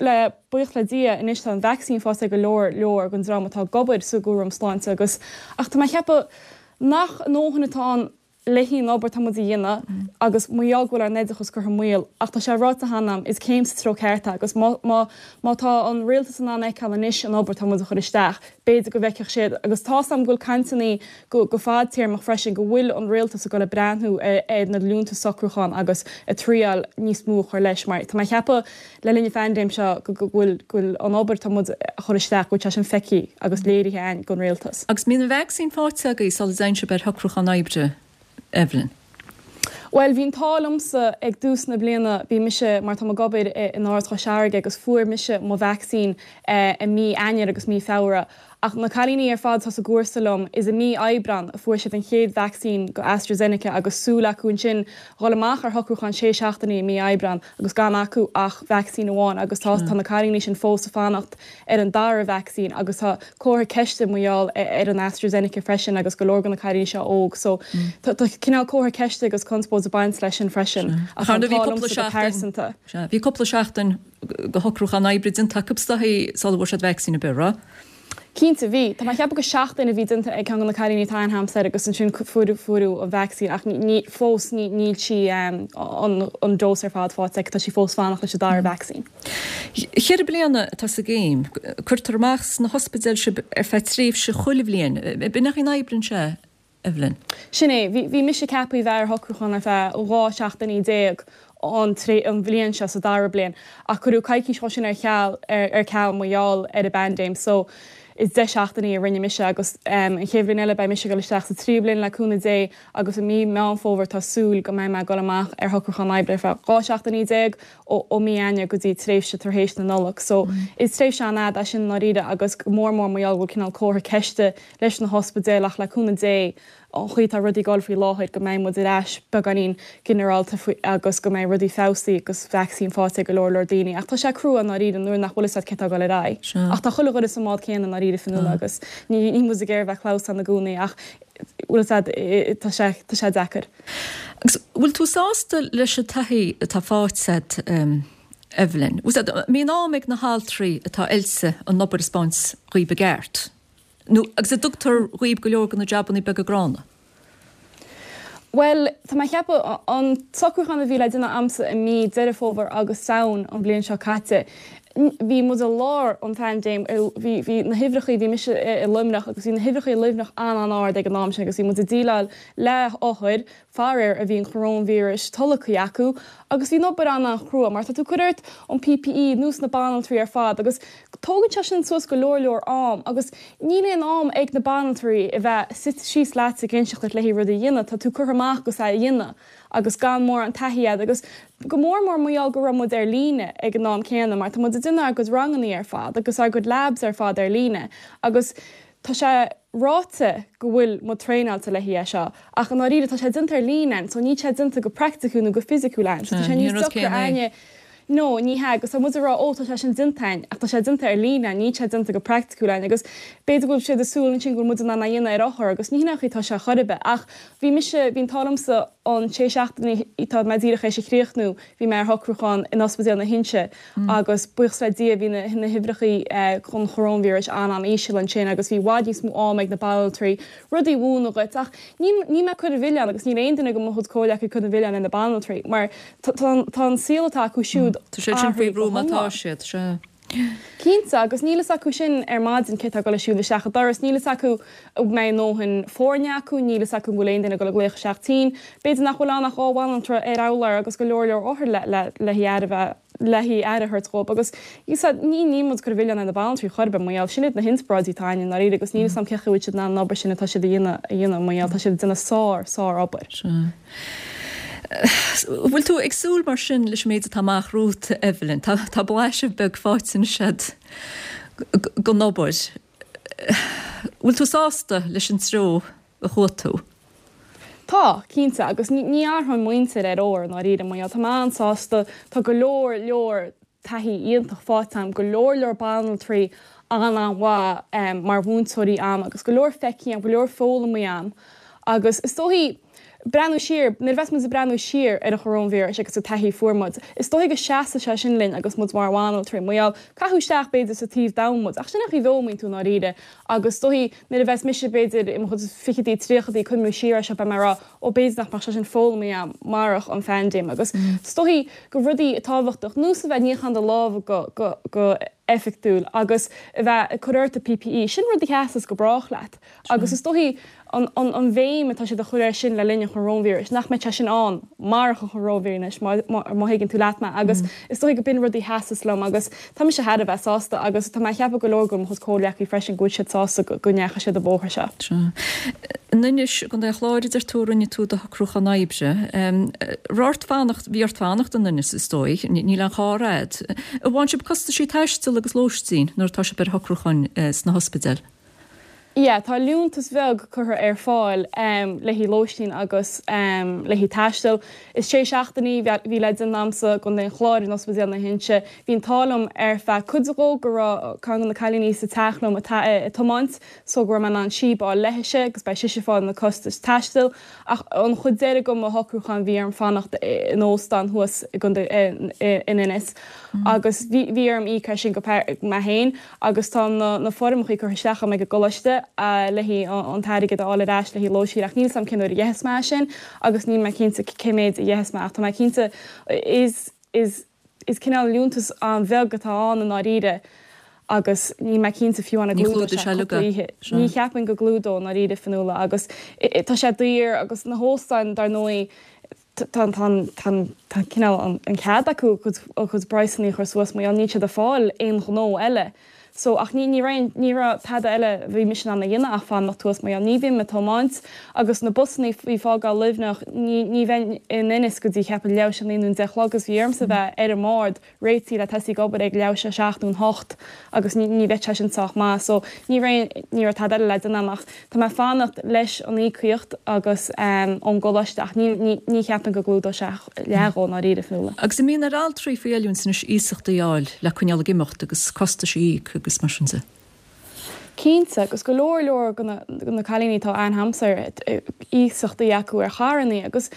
Speaker 6: le buíochas le Dia anois tá an vaccine faighte ag go leor leor den dream atá ag obair sa gcúram sláinte agus ach tá mé ag ceapadh nach ndóthain atá ann le haghaidh an obair tá muid a dhéanamh agus mar gheall go bhfuil ár n-oideachas curtha i mbaol ach tá sé ráite cheana is céim sa treo ceart agus má má má tá an rialtas in ann a fheiceáil anois an obair tá muid a chur isteach b'fhéidir go bhfeicfeadh siad agus tá am go bhfuil cainteanna go go fadtéarmach freisin go bhfuil an rialtas ag dul ag breathnú ar, ar na liúntais socrúcháin agus ag triail níos mó a chur leis mar tá mé ag ceapadh le linn an phaindéim seo go bhfuil go bhfuil an obair tá muid a chur isteach go bhfuil sé sin feicthe agus léirithe againn don rialtas.
Speaker 1: Agus bhí an vacsaín faighte agaibh sula dtéann sibh ar shocrúchán oibre, Evelyn.
Speaker 6: Well bhí an t-ádh liomsa ag tús na bliana bhí mise mar tá ag obair in Áras Chois Fharraige agus fuair mise mo vacsaín eh, i mí Eanáir agus mí Feabhra. Ach na cailíní ar fad atá sa gcúrsa liom is i mí Aibreán a fuair siad an chéad vacsaín go AstraZeneca agus súil acu ansin dhul amach ar shocrúchán sé seachtainí i mí Aibreán agus gan acu ach vacsaín amháin agus tá tá na cailíní sin fós ag fanacht ar an dara vacsaín agus tá comhartha ceiste mar gheall ar an AstraZeneca freisin agus go leor de na cailíní seo óg so tá cineál comhartha ceiste agus conspóid ag baint leis sin freisin
Speaker 1: ach bhí cúpla seachtain Bhí cúpla seachtain de shocrúchán oibre déanta acu sula bhfuair siad vacsaín a b'ea?
Speaker 6: Cinnte bhí, Tá mé ag ceapadh go seachtain a bhí déanta ag ceann de na cailíní atá ann agamsa agus ansin fuaireadh an vacsaín ach ní fós ní níl sí an an dose ar fad faighte aici, tá sí fós fanacht leis an dara vacsaín.
Speaker 1: Cheithre bliana atá sa gcéim, cuirtear amach sna hospidéil sibh ar feadh tréimhse chuile bhliain. B'in é an oibreann sé? Evelyn.
Speaker 6: Sin é, bhí mise ceaptha a bheith ar shocrúchán ar feadh dhá seachtainí déag an an bhliain seo sa dara bliain, ach cuireadh coicís dhó sin ar cheal ar ceal mar gheall ar an bpaindéim so is deich seachtainí a rinne mise agus an chéad bhliain eile beidh mise ag dul isteach sa tríú bliain le cúnamh Dé agus i mí Meán Fómhair tá súil go mbeidh mé ag dul amach ar shocrúchán oibre ar feadh dhá seachtainí déag ó ó mí Eanáir go dtí tréimhse tar éis na Nollag. So is tréimhse an-fhada é sin i ndáiríre agus go mór mór mar gheall go bhfuil cineál comhartha ceiste leis na hospidéil ach le cúnamh Dé an chaoi atá rudaí ag dul faoi láthair go mbeidh muid ar ais beagáinín ginearálta faoi agus go mbeidh rudaí feabhsaithe agus vacsaín faighte ag go leor leor daoine. Ach tá sé crua i ndáiríre nuair nach bhfuil fhios agat cé tá ag dul ar aghaidh. Ach tá chuile dhuine sa mbád céanna i ndáiríre Fionnuala agus ní ní muid ag iarraidh bheith clamhsán i gcónaí ach bhfuil fhios agat tá sé tá sé deacair.
Speaker 1: Agus bhfuil tú sásta leis an taithí atá faighte agat Evelyn? Bhfuil fhios agat, mbíonn am ag na haltraí atá oilte an obair a 'speáint dhaoib i gceart? Nó agus an dtugtar dhaoib go leor de na jabannaí beaga gránna?
Speaker 6: Bhuel, tá mé ag ceapadh, an socrúchán a bhí le déanamh a'msa i mí Deireadh Fómhair agus Samhain an bhliain seo caite, bhí muid i lár an phaindéim, bhí, bhí na huimhreachaí, bhí mise i Luimneach agus bhí na huimhreachaí i Luimneach an-an-ard ag an am sin agus bhí muid ag déileáil le hothair, faraor, a bhí an choróinvíreas tolgtha acu agus bhí an obair an-an-chrua mar tá tú ag cur ort an PPE nós na banaltraí ar fad agus tógann sé sin suas go leor leor am agus níl aon am ag na banaltraí a bheith suite síos leat ag inseacht duit le haghaidh rudaí a dhéanamh, tá tú curtha amach agus é a dhéanamh agus gan mórán taithí agat agus go mór mór mar gheall go raibh muid ar líne ag an am céanna mar tá muid ag déanamh ár gcuid rangannaí ar fad agus ár gcuid labs ar fad ar líne agus tá sé ráite go bhfuil muid traenáilte le haghaidh é seo ach i ndáiríre tá sé déanta ar líne so níl sé déanta go praiticiúil nó go fisiciúil ann so tá sé níos deacra againne No, ní hea, agus tá muid ag rá, ó, tá sé sin déanta againn, ach tá sé déanta ar líne, níl sé déanta go praiticiúil againn, agus b'fhéidir go bhfuil siad ag súil ansin go bhfuil muid in ann é a dhéanamh ar othar, agus ní hin an chaoi atá sé chor ar bith. Ach bhí mise, bhí an t-ádh liomsa an sé seachtainí atá mé díreach théis a chríochnú, bhí mé ar shocrúchán in Ospidéal na hInse, agus buíochas le Dia bhí na na huimhreachaí chun choróinvíris an-an-íseal ansin agus bhí i bhfad níos mó am ag na banaltraí rudaí a mhúineadh dhuit. Ach ní níl mé ag cur an mhilleáin agus níl aon duine de mo chuid comhghleacaithe ag cur an mhilleáin ar na banaltraí mar tá an saol atá acu siúd
Speaker 1: Tá siad sin faoi bhrú má tá siad, sea.
Speaker 6: Cinnte, agus níl fhios acu sin ar maidin cé tá ag dul ag siúl isteach an doras, níl fhios acu an mbeidh a ndóthain foirne acu, níl fhios acu an bhfuil aon duine ag dul ag glaoch isteach tinn, b'fhéidir nach bhfuil ann ach dhá bhanaltra ar urlár agus go leor leor othar le le le haghaidh aire bheith le haghaidh aire a thabhairt dhóibh agus ní níl muid ag cur an mhilleáin ar na banaltraí chor ar bith mar gheall, sin iad na hinspioráidí atá againn i ndáiríre agus níl fhios a'm cén chaoi a bhfuil siad in ann an obair sin atá siad a dhéanamh a dhéanamh mar gheall, tá siad ag déanamh sár sár obair.
Speaker 1: Sea. Bhfuil tú ag súil mar sin leis an méid atá amach romhat, Evelyn? Tá tá blaiseadh beag faighte anois agat den obair. Bhfuil tú sásta leis an treo a chuaigh tú?
Speaker 6: Tá, cinnte, agus ní ní athróinn m'intinn ar ór i ndáiríre, mar gheall, tá mé an-sásta, tá go leor leor taithí iontach faighte agam, go leor leor banaltraí an-an-mhaith mar mhúinteoirí agam agus go leor feicthe agam, go leor foghlamtha agam agus is dóichí breathnú siar, nuair a bheas muid ag breathnú siar ar an choróinvíreas agus an taithí a fuair muid, is dóichí go seasfaidh sé sin linn agus muid mar bhanaltraí, mar gheall, caitheadh isteach b'fhéidir sa taobh d'am muid, ach sin an chaoi a bhfoghlaimíonn tú i ndáiríre agus is dóichí nuair a bheas mise b'fhéidir i mo chuid fichidí, tríochaidí ag cuimhniú siar air seo beidh mé ag rá ó b'fhéidir nach mbeadh sé sin foghlamtha agam marach an phaindéim agus is dóichí go rudaí tábhachtach nós a bheith ag níochán do lámha go go go eifeachtúil agus a bheith ag cur ort do PPE, sin rud a sheasas go brách leat agus is dóichí an an an bhéim atá siad a chur air sin le linn an choróinvíris, nach mbeadh sé sin ann marach an choróinvíreas má má má thuigeann tú leat mé agus is dóichí go b'in rudaí a sheasas liom agus tá mise thar a bheith sásta agus tá mé ag ceapadh go leor de mo chuid comhghleacaí freisin go bhfuil siad sásta go go ndeachaigh siad an bóthar seo.
Speaker 1: Sea. In Inis, i gContae an Chláir, a deir tú a rinne tú do shocrúchán oibre. Raibh ort fanacht, bhí ort fanacht in Inis is dóigh, níl aon charr a'd. An bhfaigheann sibh costaisí taistil agus lóistín nuair atá sibh ar shocrúcháin sna hospidéil?
Speaker 6: Yeah, tá liúntas bheag curtha ar fáil um, le haghaidh lóistín agus um, le haghaidh taisteal. Is sé seachtainí bhí le déanamh a'msa i gContae an Chláir in Ospidéal na hInse. Bhí an t-ádh liom ar feadh cuid dhó go raibh ceann de na cailíní sa teach liom atá ag tiomáint so go raibh mé in ann síob a fháil léithise agus beidh sise ag fáil na costais taistil ach an chuid deiridh de mo shocrúchán bhí orm fanacht in óstán thuas i gContae in Inis agus bhí orm íoc as sin go mé féin agus tá na na foirmeacha curtha isteach agam ag an gcoláiste le haghaidh an t-airgead a fháil ar ais le haghaidh lóistín ach níl 's a'm cén uair a gheobhas mé sin agus níl mé cinnte cé méid a gheobhas mé ach tá mé cinnte is is is cineál liúntas an-bheag atá ann i ndáiríre agus níl mé cinnte fiú an gclúdóidh sé cúpla oíche. Ní cheapaim go gclúdóidh i ndáiríre Fionnuala agus tá sé daor agus na hóstáin dar ndóigh tá tá cineál an cead acu a gcuid praghsanna a chur suas mar níl siad ag fáil aon ghnó eile. So ach ní ní raibh ní raibh tada eile a bhí mise in ann a dhéanamh ach fanacht thuas mar ní bhím ag tiomáint agus na busanna bhí ag fágáil Luimneach ní ní bheinn in Inis go dtí cheapfainn leathuair théis a naoi nó deich a chlog agus bhí ormsa bheith ar an mbord réitithe le tosaí ag obair ag leathuair théis a seacht nó an hocht agus ní ní bheadh sé sin sách maith so ní raibh ní raibh tada eile le déanamh ach tá mé ag fanacht leis an íocaíocht agus um, ón gcoláiste ach ní ní ní cheapaim go gclúdóidh sé leath dhó i ndáiríre Fionnuala.
Speaker 1: Agus an mbíonn ar altraí faoi oiliúint anois iasachtaí a fháil le coinneáil ag imeacht agus costais a íoc agus mar sin de.
Speaker 6: Cinnte agus go leor leor de na cailíní atá ann a'msa iasachtaí acu ar charranna agus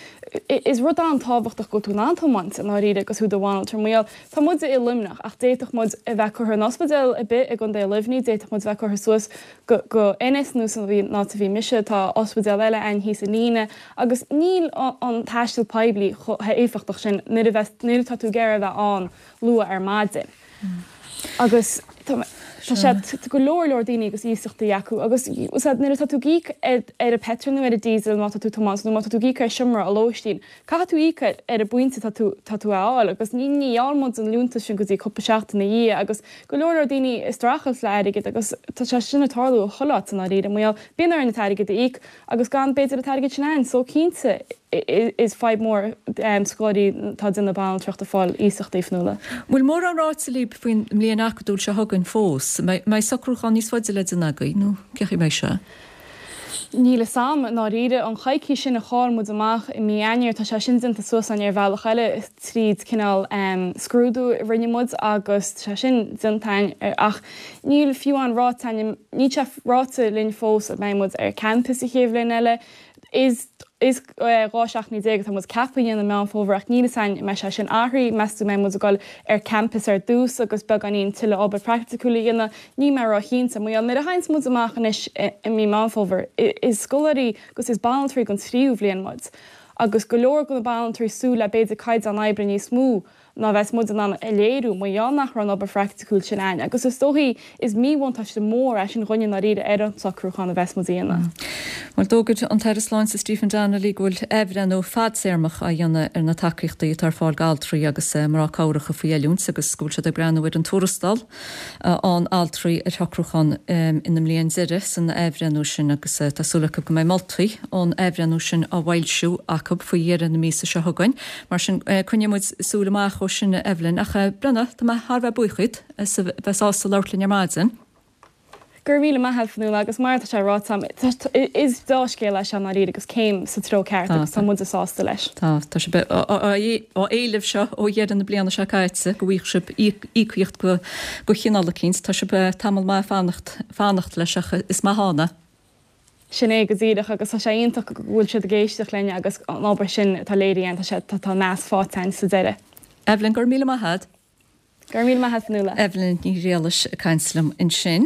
Speaker 6: is rud an-tábhachtach go bhfuil tú in ann tiomáint i ndáiríre agus thú i do bhanaltra mar gheall tá muid i Luimneach ach d'fhéadfadh muid a bheith curtha in ospidéal ar bith i gContae Luimnigh, d'fhéadfadh muid a bheith curtha suas go go Inis nó san áit a bhí mise tá ospidéal eile ann thíos an líne agus níl an taisteal poiblí chomh héifeachtach sin nuair a bheith nuair atá tú ag iarraidh a bheith ann luath ar maidin. Agus tá sé go leor leor daoine agus iasachtaí acu agus nuair atá tú ag íoc ar an petrol nó ar an diesel má tá tú ag tiomáint nó má tá tú ag íoc ar seomra a lóistín. Caithfidh tú íoc ar an bpointe tá tú tá tú a fháil agus ní ní fhaigheann muid an liúntas sin go dtí cúpla seachtain ina dhiaidh agus go leor leor daoine ag streachailt le airgead agus tá sé sin ag tarlú chuile áit i ndáiríre mar gheall bíonn orainn an t-airgead a íoc agus gan b'fhéidir an t-airgead sin ann so cinnte is fadhb mór um, scoláirí atá ag déanamh banaltracht ag fáil iasachtaí Fionnuala.
Speaker 1: Bhfuil mórán ráite libh faoin mbliain acadúil seo chugainn fós, mbeidh socrúchán níos faide le déanamh agaibh nó cén chaoi a mbeidh sé?
Speaker 6: Níl a fhios a'm i ndáiríre an choicís sin a chaill muid amach i mí Eanáir tá sé sin déanta suas againn ar bhealach eile tríd cineál um, scrúdú a rinne muid agus tá sé sin déanta againn ach níl fiú an ráite níl sé ráite linn fós a mbeidh muid ar campus an chéad bhliain eile is is dhá seachtain déag atá muid ceaptha a dhéanamh Meán Fómhair ach níl a fhios a'inn mbeidh sé sin athraithe meas tú mbeidh muid ag dul ar campus ar dtús agus beagáinín tuilleadh obair praiticiúil a dhéanamh níl mé róchinnte mar nuair a théanns muid amach anois i mí Meán Fómhair is scoláirí agus is banaltraí den tríú bhliain muid agus go leor de na banaltraí súil le b'fhéidir caighdeán oibre níos mó ná bheas muid in ann a léiriú mar gheall nach raibh an obair phraiticiúil sin ann agus is dóichí is míbhuntáiste mór é sin dhúinne i ndáiríre ar an socrúchán a bheas muid a dhéanamh.
Speaker 1: Bhuel d'fhógair an tAire Sláinte Stephen Donnelly go bhfuil athbhreithniú fadtéarmach á dhéanamh ar na tacaíochtaí atá ar fáil d'altraí agus mná cabhracha faoi oiliúint agus go bhfuil siad ag breathnú ar an tuarastal an altraí ar shocrúchán ina mbliain deiridh san athbhreithniú sin agus tá súil acu go mbeidh moltaí ón athbhreithniú sin á bhfoilsiú acu faoi dheireadh na míosa seo chugainn. Mar sin coinneoidh muid súil amach ó sin Evelyn ach Brenna tá mé thar bheith buíoch díot as a bheith sásta labhairt linn ar maidin.
Speaker 6: Gur míle maith Fionnuala agus mar tá sé ráite is dea-scéal é seo i ndáiríre agus céim sa treo ceart agus tá muid sásta leis.
Speaker 1: Tá tá sé á éileamh seo ó dheireadh na bliana seo caite go bhfaighidh sibh íocaíocht go go chineál eicínt tá sibh tamall maith fanacht fanacht leis ach is maith ann é.
Speaker 6: Sin é go díreach agus tá sé iontach go bhfuil siad ag éisteacht linn agus an obair sin atá léirithe tá sé tá meas faighte sa deireadh.
Speaker 1: Evelyn gur míle maith
Speaker 6: Gur míle maith Fionnuala.
Speaker 1: Evelyn Ní Ghriallais ag caint liom ansin.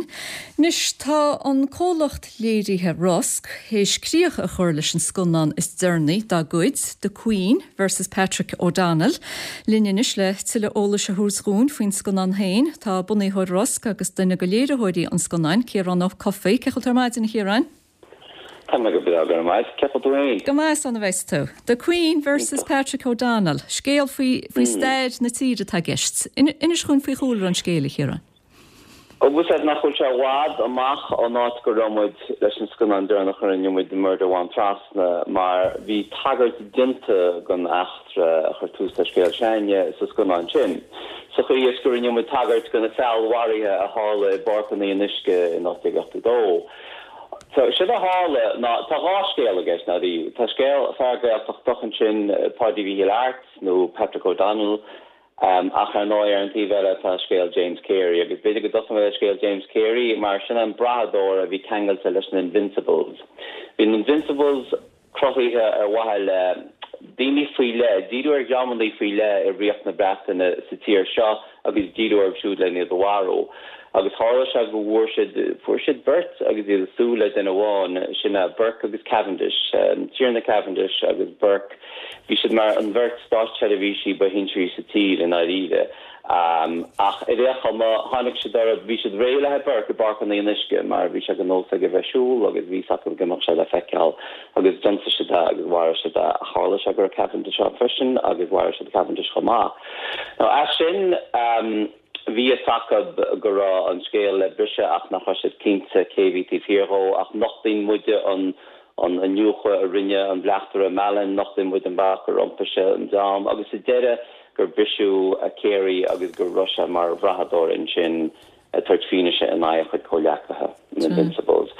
Speaker 1: Anois tá an comhlacht léirithe Rosc théis críoch a chur leis an scannán is deireanaí dá gcuid, The Queen versus Patrick O'Donnell. Linn anois le tuilleadh eolais a thabhairt dúinn faoin scannán féin, tá bunaitheoir Rosc agus duine de léiritheoirí an scannáin, Ciarán Ó Cofaigh, Cén chaoi a bhfuil tú ar maidin a Chiaráin?
Speaker 7: Tá mé go breá go maith cepa tú féin.
Speaker 1: Go maith an bheits tú. The Queen versus Patrick O'Donnell, scéal faoi faoi stair na tíre atá i gceist. Inis dúinn faoi chúlra an scéil a Chiaráin.
Speaker 7: Agus é nach bhfuil sé i bhfad amach ón áit go raibh muid leis an scannán deireanach a rinne muid Murder Mhám Trasna mar bhí tagairt déanta don eachtra a chuir tús le scéal s'againne sa scannán sin. Sa chaoi is go rinne muid tagairt do na feallmharuithe a tharla i bPáirc an Fhionnuisce in ocht déag ochtó dó. So séard a tharla ná tá dhá scéal i gceist ná tá scéal fear Gaeltachtach ansin Páidí Mhichíl Airt nó Patrick O'Donnell um, ach ar ndóigh ar an taobh eile tá scéal James Carey agus b'fhéidir go dtosóidh mé le scéal James Carey mar sin an brathadóir a bhí ceangailte leis na Invincibles. Bhí na Invincibles cruthaithe ar mhaithe le daoine faoi leith, díriú ar dhreamanna faoi leith i Ríocht na Breataine sa tír seo agus díriú orthu siúd le iad a mharú. Agus tharla sé go bhfuair siad fuair siad beirt agus iad ag súil le duine amháin sin é Burke agus Cavendish, um, Tiarna Cavendish agus Burke. Bhí siad mar an bheirt státseirbhísigh ba shinsearaí sa tír i ndáiríre. Um, ach i réchama tháinig siad ar bhí siad réidh le Burke i bPáirc an Fhionnuisce mar bhí sé de nós aige bheith ag siúl agus bhí a fhios acu go mbeadh sé le feiceáil agus d'ionsaigh siad é agus mharaigh siad é tharla sé go raibh Cavendish ann freisin agus mharaigh siad Cavendish chomh maith. Now as sin um, bhí a fhios acu go raibh an scéal le briseadh ach nach raibh siad cinnte cé bhí taobh thiar dhó ach nochtaíonn muide an an iniúchadh a rinne an bleachtaire Mallon nochtaíonn muid an bealach gur iompaigh sé an dream agus sa deireadh gur briseadh a Carey agus go raibh sé mar bhrathadóir ansin ag tabhairt fianaise in aghaidh a chuid comhghleacaithe na Invincibles.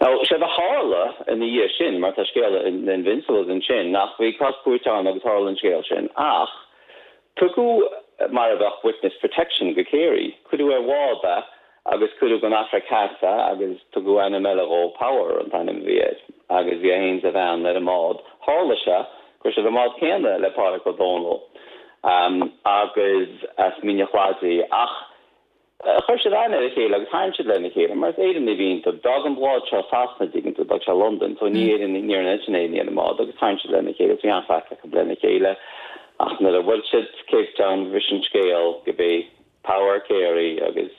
Speaker 7: Now séard a tharla ina dhiaidh sin mar tá scéal na Invincibles ansin nach bhí cás cúirte ann agus tharla an scéal sin ach tugadh mar a bheadh witness protection go Carey, cuireadh ar bhád é agus cuireadh go Afraic Theas é agus tugadh ainm eile dhó Power an t-ainm a bhí air agus bhí é féin is a bhean ar an mbád. Tharla sé go raibh siad ar an mbád céanna le Pádraig Ó Dónaill um, agus as Mín an Chladaigh ach uh, chuir siad aithne ar a chéile agus thaithin siad lena chéile mar is Éireannaigh a bhí iontu. D'fhág an bád seo Sasana dtuigeann tú d'fhág sé London, so ní Éireann ní ar sin é ar an mbád agus thaithin siad lena chéile bhí an-chraic acu lena chéile ach nuair a bhuail siad Cape Town bhris an scéal gurb é Power Carey agus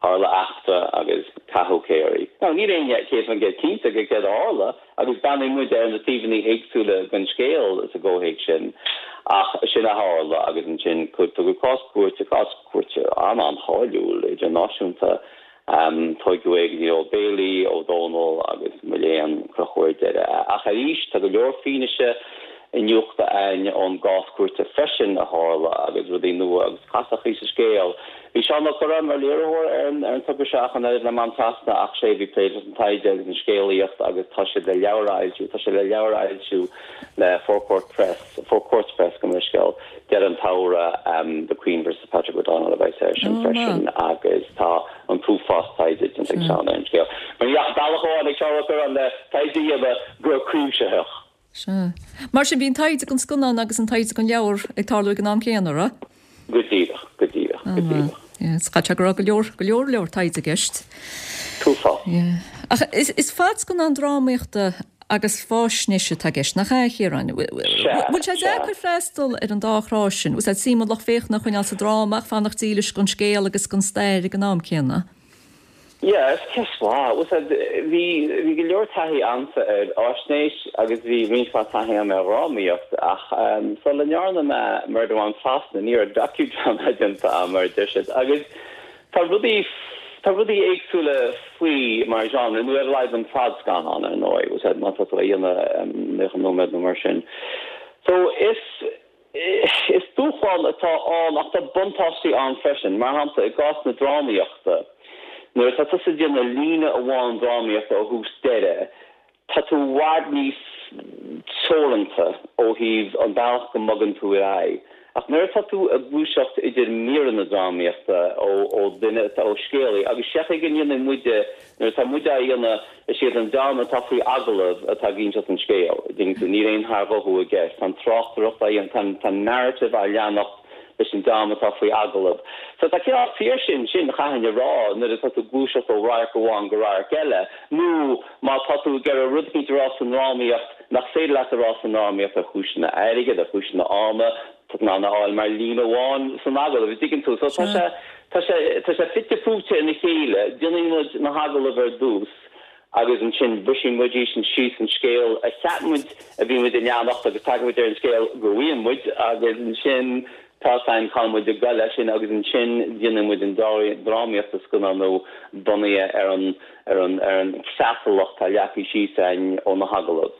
Speaker 7: tharla eachtra agus caitheadh Carey. Now níl éinne céad faoin gcéad cinnte go céard a tharla agus breathnaíonn muid ar na taobhanna éagsúla den scéal sa gcomhthéacs sin ach sin a tharla agus ansin tugadh cás cúirte cás cúirte an an-cháiliúil idirnáisiúnta um, tugadh é go Old Bailey Ó Dónaill agus mo léan crochadh ar deireadh. Ach arís tá go leor fianaise iniúchta ann ón gcás cúirte freisin a tharla agus rudaí nua agus castaí sa scéal. Bhí Seán Ó Cuirreáin mar léiritheoir ar an ar an togra seo an le Mám Trasna ach sé bhí plé leis an taighde agus an scéalaíocht agus tá sé le leabhar a fhoilsiú, tá sé le leabhar a fhoilsiú le Four Court Press, Four Courts Press go scéal de an tAire um, The Queen versus Patrick O'Donnell a bheidh sé sin freisin agus tá an t-uafás taighde den ag Seán ar an scéal. Mar bealach amháin ag Seán Ó Cuirreáin le taighde a dhéanamh go cuimsitheach.
Speaker 1: Sea. Mar sin bhí an taighde don scannán agus an taighde don leabhar ag tarlú ag an am céanna ra?
Speaker 7: Go díreach, go díreach, go díreach.
Speaker 1: Is go go leor go leor leor taighde i gceist.
Speaker 7: T-uafás.
Speaker 1: Ach is, is fadscannán drámaíochta agus faisnéise atá i gceist nach ea a Chiaráin. Bhfuil sé deacair freastal ar an dá thrá sin, Ús suim an lucht féachana a choinneáil sa dráma ach fanacht dílis don scéal agus don stair ag an am céanna.
Speaker 7: Yeah, is ceist mhaith. Bhí bhí go leor taithí a'msa ar fhaisnéis agus bhí roinnt mhaith taithí a'm ar dhrámaíocht ach um, sula ndearna mé Murder Mhám Trasna ní raibh docudrama déanta a'm mar deir siad agus tá rudaí tá rudaí éagsúla faoi mar genre nó ar a laghad an fadscannán ar ndóigh was má tá tú á dhéanamh nócha nóiméad nó mar sin. So is is dúshlán atá ann ach tá buntáistí ann freisin, mar shampla i gcás na drámaíochta. Nuair atá tusa ag déanamh líne amháin drámaíochta ó thús deireadh, tá tú i bhfad níos teoranta ó thaobh an bealach go mbogann tú ar aghaidh. Ach nuair atá tú ag gluaiseacht idir míreanna drámaíochta ó ó duine ó scéalaí, agus seachas go ndéanann muide nuair atá muide á dhéanamh is iad an dream atá faoi agallamh atá ag inseacht an scéil. Dtuigeann tú níl aon tharghuthú i gceist, tá an tráchtaireacht á dhéanamh, tá tá narrative á leanacht leis an dream atá faoi agallamh. So tá cineál saoirse ansin chaithfinn a rá nuair atá tú ag gluaiseacht ó radharc amháin go radharc eile, nó má tá tú ag iarraidh rud éicint a rá sa ndrámaíocht nach féidir leat a rá sa ndrámaíocht ar chúiseanna airgid, ar chúiseanna ama, tá tú in ann a fháil mar líne amháin san agallamh, an dtuigeann tú. So tá sé tá sé tá sé fite fuaite ina chéile, déanann muid na hagallaimh ar dtús agus ansin briseann muid sin síos an scéal a cheap muid a bhí muid a leanacht agus tagann muid ar an scéal go bhfuil muid agus ansin tá an cá muid ag goil leis sin agus ansin déanann muid an drámaíocht a scannánú bunaithe ar an ar an ar an chreatlach atá leagtha síos againn ó na hagallaimh.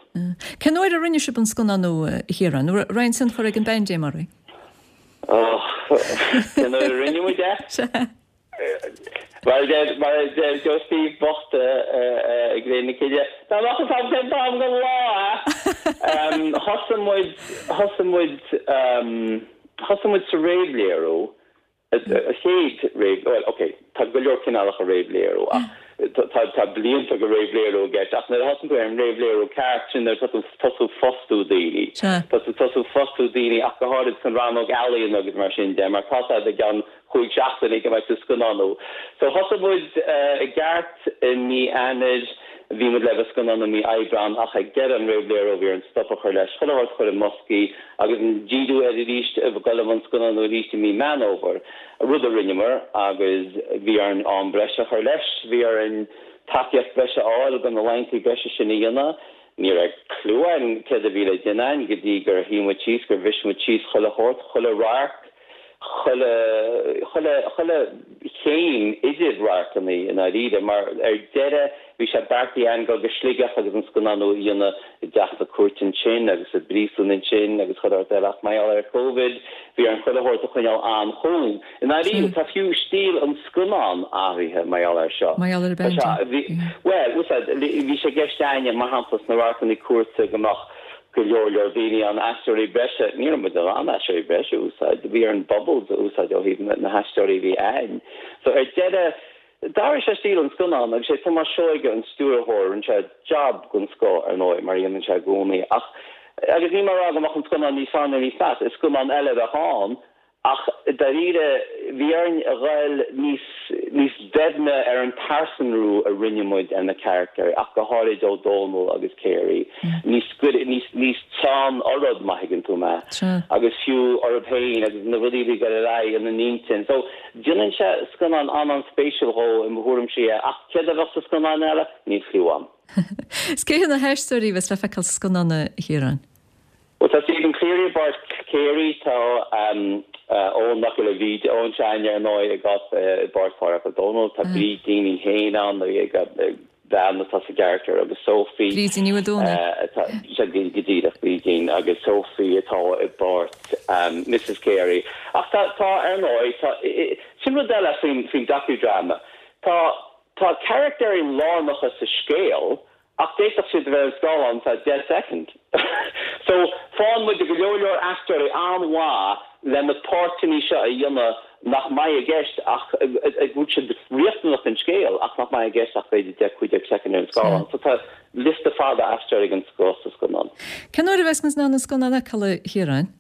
Speaker 1: Cén uair a rinne sibh an scannánú a Chiaráin, raibh aon tionchar ag an bpaindéim oraibh?
Speaker 7: Cén uair a rinne muid é? Mar a deir mar a deir Joe Steve bocht i gCré na Cille, Dá mbeadh fhios agam cén t-am den lá é! Thosaigh muid, thosaigh muid, thosaigh muid sa réamhléiriú, a chéad réamh, bhuel, ok, tá go leor cineálacha réamhléiriú ach tá tá blianta de réamhléiriú i gceist ach nuair a thosaíonn tú ar an réamhléiriú ceart sin nuair atá tú tosú fostú daoine. Tá tú tosú fostú daoine ach go háirid san rannóg ealaíon agus mar sin de mar tá sé i gceann cúig seachtainí go mbeidh tú scannánú. So thosaigh muid i gceart i mí Eanáir, bhí muid le bheith scannánú mí Aibreán ach ag deireadh an réamhléiriú bhí orainn stop a chur leis, chuile shórt a chur i mboscaí agus díriú air arís, dul i mbun scannánú arís i mí Meán Fhómhair, rud a rinneamar agus bhí orainn am breise a chur leis, bhí orainn tacaíocht breise a fháil chun na laethanta breise sin a dhéanamh. Ní raibh cliú againn céard a bhí le déanamh againn go dtí gur shuigh muid síos, gur bhris muid síos chuile shórt, chuile radharc, chuile, chuile, chuile chéim idir radharcanna i ndáiríre, mar ar deireadh bhí sé beartaithe againn dul go Sligeach agus an scannánú a dhéanamh i dteach na cúirte ansin agus sa bpríosún ansin agus chuile shórt eile ach mar gheall ar Covid bhí orainn chuile shórt a choinneáil an-chúng. I ndáiríre tá fiú stíl an scannáin athraithe mar gheall air seo.
Speaker 1: Mar gheall ar an
Speaker 7: Tá sé, bhí, bhuel, bhí sé i gceist againne mar shampla sna radharcanna cúirte go mbeadh go leor leor daoine ann, aisteoirí breise, ní raibh muid in ann aisteoirí breise a úsáid, bhí orainn bubbles a úsáid ó thaobh na haisteoirí a bhí a'ainn. So ar deireadh, d'athraigh sé stíl an scannáin agus sé Tomás Seoige an stiúrthóir, rinne sé jab den scoth ar ndóigh, mar a dhéanann sé i gcónaí, ach agus níl mé ag rá go mbeadh an scannán níos fearr nó níos measa, is scannán eile a bheadh ann, Ach dáiríre, bhí orainn a ghoil níos níos doimhne ar an pearsanrú a rinne muid ar na carachtair, ach go háirid Ó Dónaill agus Carey, níos níos níos teann orthub, má thuigeann tú mé, agus fiú orthub féin agus na rudaí a bhí ag dul ar aghaidh ina n-intinn. So, déanann sé scannán an-an-spéisiúil dhó i mo thuairimse é, ach céard a bheadh sa scannán eile? Níl cliú a'm.
Speaker 1: Is cé hiad na haisteoirí a bheas le feiceáil sa scannán, a Chiaráin?
Speaker 7: Bhuel, tá Stephen Cleary i bpáirt Carey, tá Eoin Mac Giolla Bhríde, Eoin s'againne ar ndóigh i gcás i bpáirt Pháraic Ó Dónaill, tá Brídín í féin ann, bean atá sa gcarachtar agus Sophie.
Speaker 1: Brídín Ní Mhaoldomhnaigh.
Speaker 7: Atá, sea, go díreach, Brídín agus Sophie atá i bpáirt Missus Carey. Ach tá, tá, ar ndóigh, tá, sin rud eile faoin, faoin docudrama, tá, tá carachtair lárnacha sa scéal, Ach d'fhéadfadh siad a bheith ar an scáileán feadh deich soicind. So, faigheann muid go leor leor aisteoirí an-mhaith le na páirteanna seo a dhéanamh nach mbeidh i gceist ach go bhfuil siad riachtanach don scéal ach nach mbeidh i gceist ach b'fhéidir deich, cúig déag soicind ar an scáileán. So tá liosta fada aisteoirí den scoth sa scannán.
Speaker 1: Cén uair a bheas muid in ann an scannán a fheiceáil, a Chiaráin?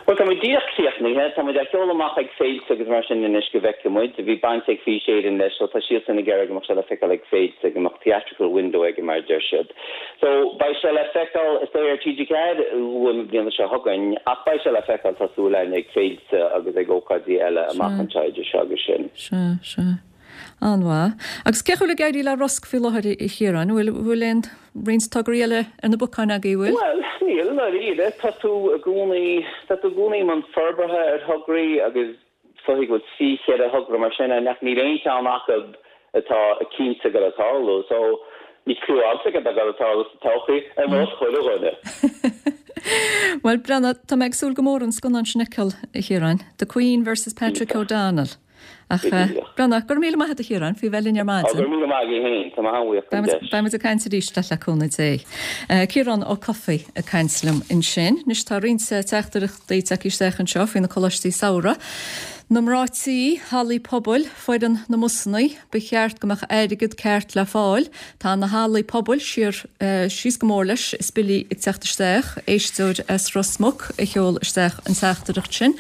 Speaker 7: Bhuel, tá muid díreach críochnaithe. Tá muid á sheoladh amach ag féilte agus mar sin anois go bhfeicfidh muid. Bhí baint ag Fís Éireann leis so tá siadsan ag iarraidh go mbeadh sé le feiceáil ag féilte, go mbeadh theatrical window aige mar a deir siad. So, beidh sé le feiceáil is dóigh ar T G ceathair luath na bliana seo chugainn ach beidh sé le feiceáil, tá súil againn, ag féilte agus ag ócáidí eile amach anseo idir seo agus sin.
Speaker 1: Sea, sea. An-mhaith. Agus cén chaoi a bhfuil ag éirí le Rosg faoi láthair, a Chiaráin? An bhfuil, bhfuil aon roinnt tograí eile ar na bacáin agaibh, bhfuil?
Speaker 7: Bhuel, níl, i ndáiríre. Tá tú i gcónaí, tá tú i gcónaí i mbun forbartha ar thograí agus is dóigh go bhfuil trí cheithre thogra mar sin ann ach níl aon cheann acu atá cinnte ag dul ag tarlú. So, níl cliú agamsa céard atá ag dul ag tarlú sa todhchaí, ar nós chuile dhuine.
Speaker 1: Bhuel, breathnaigh, tá mé ag súil go mór an scannán sin a fheiceáil, a Chiaráin. The Queen versus Patrick O'Donnell. Ach, breathnaigh, go raibh míle maith agat a Chiaráin, faoi bheith linn ar maidin.
Speaker 7: Go raibh míle maith agat féin, tá mé an-bhuíoch den deis.
Speaker 1: Beidh muid ag caint arís leat le cúnamh Dé. Ciarán Ó Cofaigh ag caint liom ansin. Anois tá roinnt teachtaireachtaí tagtha isteach anseo faoi na coláistí samhraidh. Na mná tí, hallaí pobail, foireann na mbusannaí, ba cheart go mbeadh airgead ceart le fáil. Tá na hallaí pobail siar, síos go mór leis is billí ag teacht isteach. Éisteoir as Ros Muc a sheol isteach an teachtaireacht sin.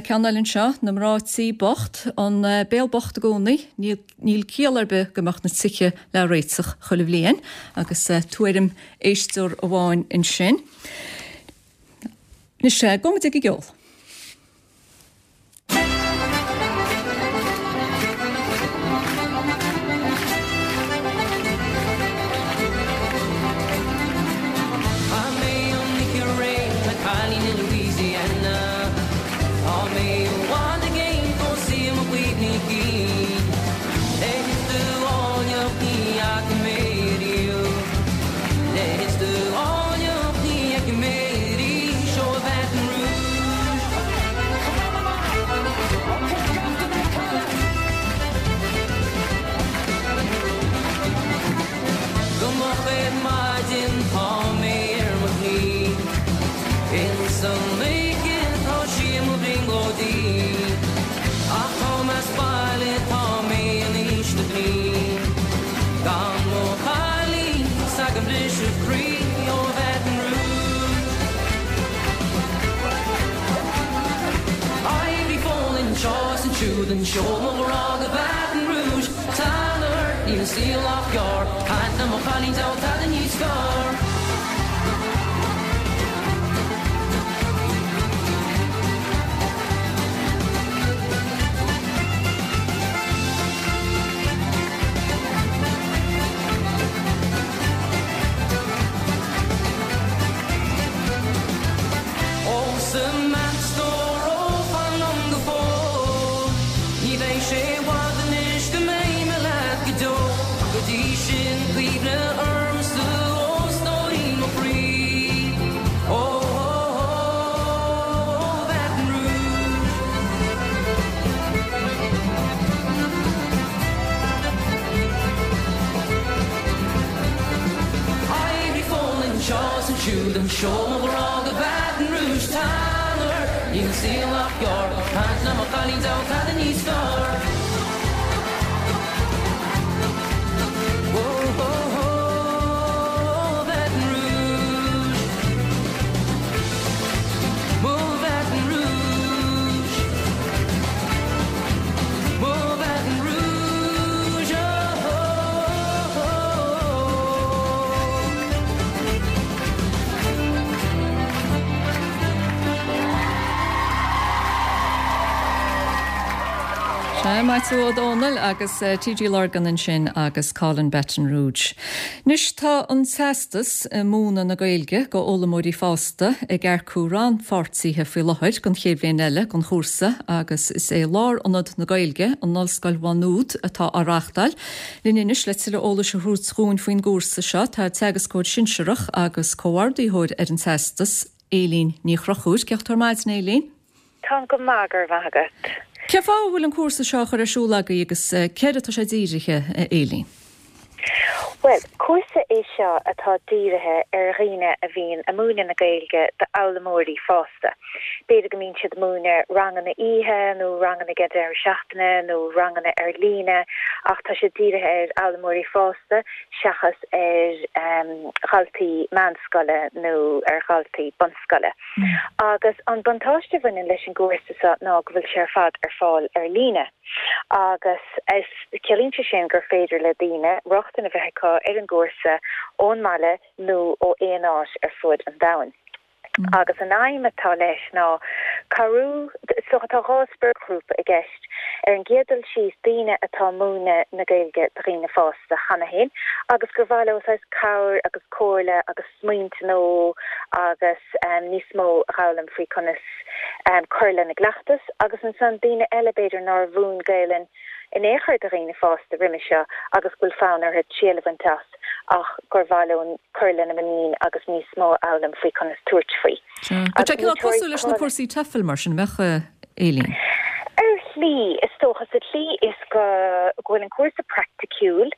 Speaker 1: Ceann eile anseo, na mná tí bocht, an béal bocht i gcónaí, níl níl ciall ar bith go mbeadh na tithe le réiteach chuile bhliain, agus tuairim éisteoir amháin ansin. Anois, gabhfaidh muid ag an gceol.
Speaker 8: Inseoidh mo ghrá go Baton Rouge Tan ort, níl an saol ach gearr Caint le mo chailín diabhal tada níos fearr. Ó Samantha, ó fan liom go fóill Ní bheidh sé i bhfad anois go mbeidh mé leat go deo Go dtí sin cuimhnigh ormsa ó stóirín mo chroí Ó ó ó Baton Rouge Oibrigh fón anseo is ansiúd Inseoidh mo ghrá go Baton Rouge Tan ort, níl an saol ach gearr Caint le mo chailín diabhal tada níos fearr Ó ó ó Baton Rouge Mo Baton Rouge Mo Baton Rouge oh, oh, oh, oh.
Speaker 1: Sea, Maitiú Ó Dónaill agus TG Lurgan ansin agus Callin' Baton Rouge. Anois tá an teastas i múineadh na Gaeilge go fhoghlaimeoirí fásta ag earcú rannpháirtithe faoi láthair don chéad bhliain eile den chúrsa agus is é Lárionad na Gaeilge in Ollscoil Mhá Nuad atá á reáchtáil. Linn anois le tuilleadh eolais a thabhairt dúinn faoin gcúrsa seo tá teagascóir sinsearach agus comhordaitheoir ar an teastas, Éilín Ní Chonchúir. Cén chaoi a bhfuil tú ar maidin, Éilín?
Speaker 9: Táim go maith, go raibh maith agat.
Speaker 1: Cén fáth a bhfuil an cúrsa seo á chur ar siúl agaibh agus céard atá sé dírithe, a Éilín?
Speaker 9: Bhuel, cúrsa é seo atá dírithe ar dhaoine a bhíonn ag múineadh na Gaeilge d'fhoghlaimeoirí fásta. B'fhéidir go mbíonn siad ag múineadh ranganna oíche nó ranganna ag deireadh seachtaine nó ranganna ar líne ach tá sé dírithe ar fhoghlaimeoirí fásta seachas ar dhaltaí meánscoile nó ar dhaltaí bunscoile. Agus an buntáiste a bhaineann leis an gcúrsa seo ná go bhfuil sé ar fad ar fáil ar líne. Agus is ciallaíonn sé sin gur féidir le daoine rochtain a bheith acu ar an gcúrsa ón mbaile nó ó aon áit ar fud an domhain. Agus an aidhm atá leis ná cabhrú, so tá dhá spriocghrúpa i gceist. Ar an gcéad dul síos, daoine atá ag múineadh na Gaeilge do dhaoine fásta cheana féin agus gur mhaith leo saghas cabhair agus comhairle agus smaointe nua agus níos mó a fhoghlaim faoi conas cur lena gcleachtas agus ansan daoine eile b'fhéidir nár mhúin Gaelainn in aon chor do dhaoine fásta roimhe seo agus go bhfuil fonn orthu triail a bhaint as ach gur mhaith leo cur lena muinín agus níos mó a fhoghlaim faoi conas tabhairt faoi.
Speaker 1: Tá sé cineál cosúil leis na cúrsaí TEFL mar sin, an mbeadh, Éilín?
Speaker 9: Ar shlí, is dócha, sa tslí is go bhfuil an cúrsa praiticiúil,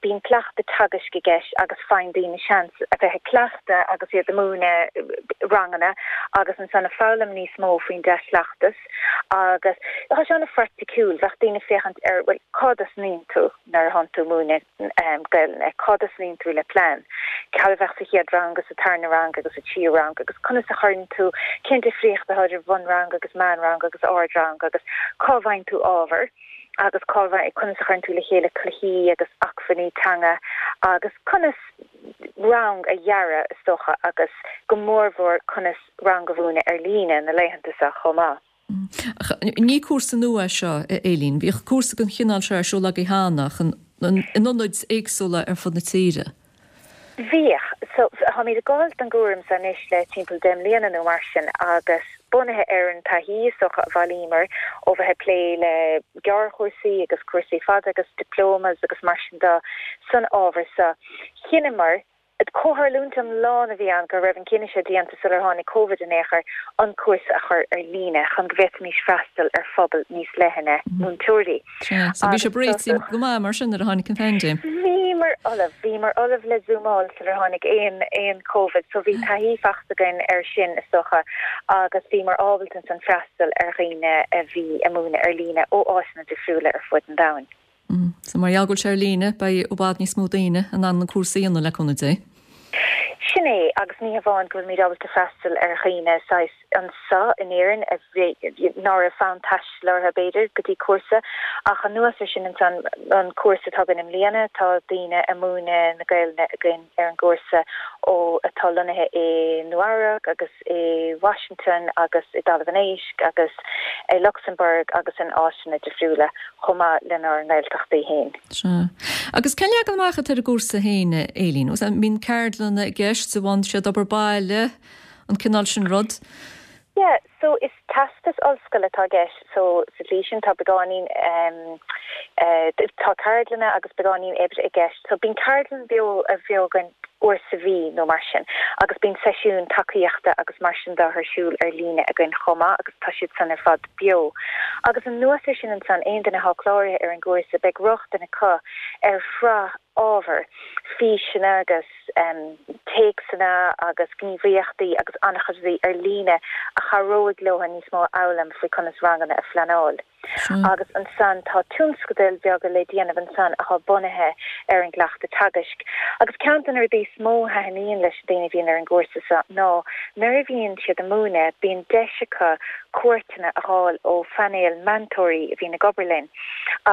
Speaker 9: bíonn cleachtadh teagaisc i gceist agus faigheann daoine seans a bheith ag cleachtadh agus iad ag múineadh ranganna agus ansan ag foghlaim níos mó faoin dea-chleachtas agus tá sé an-phraiticiúil, bheadh daoine ag féachaint ar, bhuel, cá dtosnaíonn tú nuair atánn tú ag múineadh Gaelainne, cá dtosnaíonn tú le plean, cad a bheadh sa chéad rang agus sa tarna rang agus sa tríú rang agus conas a chuireann tú, cén difríocht atá idir bhunrang agus meánrang agus ardrang agus cá bhfaigheann tú ábhar agus cá bhfaigheann, conas a chuireann tú le chéile cluichí agus acmhainní teanga agus conas rang a dhearadh is dócha agus go mórmhór conas rang a mhúineadh ar líne na laethanta seo chomh maith.
Speaker 1: Ach ní cúrsa nua é seo, a Éilín. Bhíodh cúrsa den chineál seo ar siúl agaibh cheana ach in ionaid éagsúla ar fud na tíre.
Speaker 9: Bhíodh. So, táimid ag gabháil don gcúram seo anois le timpeall deich mbliana nó mar sin agus bunaithe ar an taithí is dócha a bhailíomar ó bheith ag plé le gearrchúrsaí agus cúrsaí fada agus diplomas agus mar sin de san ábhar seo, chinneamar, Comhtharlúint iomlán a bhí ann go raibh an cinneadh seo déanta sular tháinig Covid in aon chor, an cúrsa a chur ar líne chun go bhféadfaimis freastal ar phobal níos leithne múinteoirí.
Speaker 1: Sea, so bhí sibh réitithe go maith mar sin nuair a tháinig an phaindéim.
Speaker 9: Bhíomar ullamh, bhíomar ullamh le zúmáil sular tháinig aon aon Covid, so bhí taithí faighte againn air sin is dócha agus bhíomar ábalta ansan freastal ar dhaoine a bhí ag múineadh ar líne ó áiteanna difriúla ar fud an domhain.
Speaker 1: So mar gheall go bhfuil sé ar líne, beidh i bhfad níos mó daoine in ann an cúrsa a dhéanamh le cúnamh Dé.
Speaker 9: Sin é, agus ní hamháin go bhfuilimid ábalta freastal ar dhaoine saghas anseo in Éirinn a bhí ná raibh fonn taistil orthu b'fhéidir go dtí cúrsa ach anuas ar sin ansan an cúrsa atá againn i mbliana tá daoine ag múineadh na Gaelainne againn ar an gcúrsa ó atá lonnaithe i Nua Eabhrac agus i Washington agus i dTalamh an Éisc agus i Luxembourg agus in áiteanna difriúla chomh maith lenár nGaeltachtaí féin.
Speaker 1: Sea. Agus cén leagan amach atá ar an gcúrsa féin, Éilín? An mbíonn ceardlanna i gceist, an bhfaigheann siad obair baile, an cineál sin rud?
Speaker 9: Yeah, so is teastas ollscoile atá i gceist, so sa tslí sin tá beagáinín um, uh, tá ceardlanna agus beagáinín oibre i gceist. So bíonn ceardlann beo a bheo againn uair sa mhí nó mar sin, agus bíonn seisiún tacaíochta agus mar sin de ar siúl ar líne againn chomh maith agus tá siad san ar fad beo. Agus anuas air sin ansan aon duine atá cláraithe ar an gcúrsa beidh rochtain acu ar shraith ábhar, físeanna agus um, téacsanna agus gníomhaíochtaí agus an-chuid rudaí ar líne a chabhróidh leo níos mó a fhoghlaim faoi conas ranganna a phleanáil. Agus ansan tá tionscadail bheaga le déanamh ansan atá bunaithe ar an gcleachtadh teagaisc. Agus ceann de na rudaí is mó a thaitníonn leis na daoine a bhíonn ar an gcúrsa seo ná nuair a bhíonn siad ag múineadh bíonn deis acu cuairteanna a fháil ó phainéal meantóirí a bhíonn ag obair linn.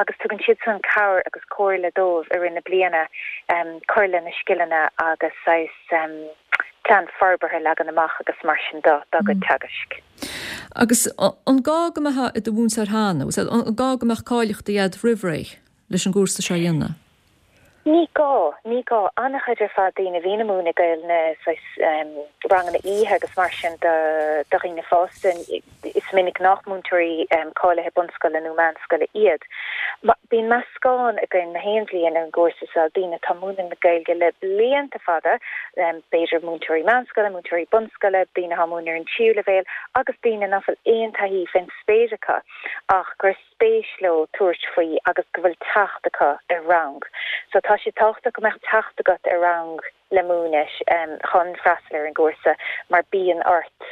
Speaker 9: Agus tugann siad san cabhair agus comhairle dóibh i rith na bliana um, cur lena scileanna agus saghas um, plean forbartha leagan amach agus mar sin de dá gcuid teagaisc.
Speaker 1: Agus an gá go mbeifeá i do mhúinteoir cheana, an gá go mbeadh cáilíochtaí agat roimh ré leis an gcúrsa seo a dhéanamh?
Speaker 9: Ní gá, ní gá an-chuid ar fad daoine a bhíonn ag múineadh Gaelainne saghas um, ranganna oíche agus mar sin do do dhaoine fásta is minic nach múinteoirí um, cáilithe bunscoile nó meánscoile iad. Ma, bíonn meascán againn na haon bhliain ar an gcúrsa seo daoine atá ag múineadh na Gaeilge le blianta fada, um, b'fhéidir múinteoirí meánscoile, múinteoirí bunscoile, daoine atá ag múineadh ar an tríú leibhéal agus daoine nach bhfuil aon taithí fén spéir acu ach gur spéis leo tabhairt faoi agus go bhfuil teacht acu ar rang. So tá sé tábhachtach go mbeadh teacht agat ar rang le múineadh um, chun freastal ar an gcúrsa mar bíonn ort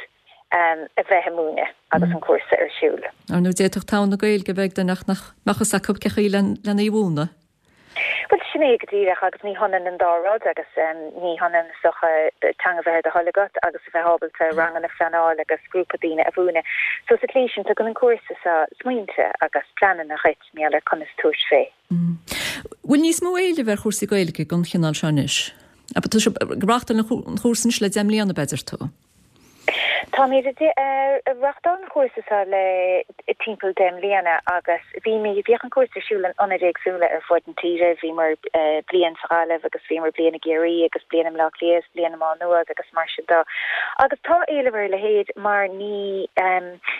Speaker 9: um, a bheith ag múineadh agus an cúrsa ar siúl.
Speaker 1: Ar nó d'fhéadfadh togha na Gaeilge a bheith ag duine ach nach mbeadh fhios acu cén chaoi lena í mhúineadh.
Speaker 9: Well sin é go díreach agus ní hionann an dá rud agus um, ní hionann socha teanga bheith ar do thoil agat agus a bheith ábalta ranganna a phleanáil agus grúpa daoine a mhúineadh. So sa tslí sin tugann an cúrsa seo smaointe agus pleananna dhuit maidir le conas tabhairt fé.
Speaker 1: Bhfuil níos mó éilimh ar chúrsaí Gaeilge den chineál seo anois? Tá sibh ag reáchtáil an chúrsa anois le deich mbliana b'fhéidir tú.
Speaker 9: Táimid ag reáchtáil an chúrsa seo le timpeall deich mbliana agus bhí mé bhíodh an cúrsa ar siúl in ionaid éagsúla ar fud na tíre, bhíomar bliain sa Ghaillimh agus bhíomar bliain i gCiarraí agus bliain i mBleá Cliath, bliain i Má Nuad agus mar sin de. Agus tá éileamh ar a leithéid mar ní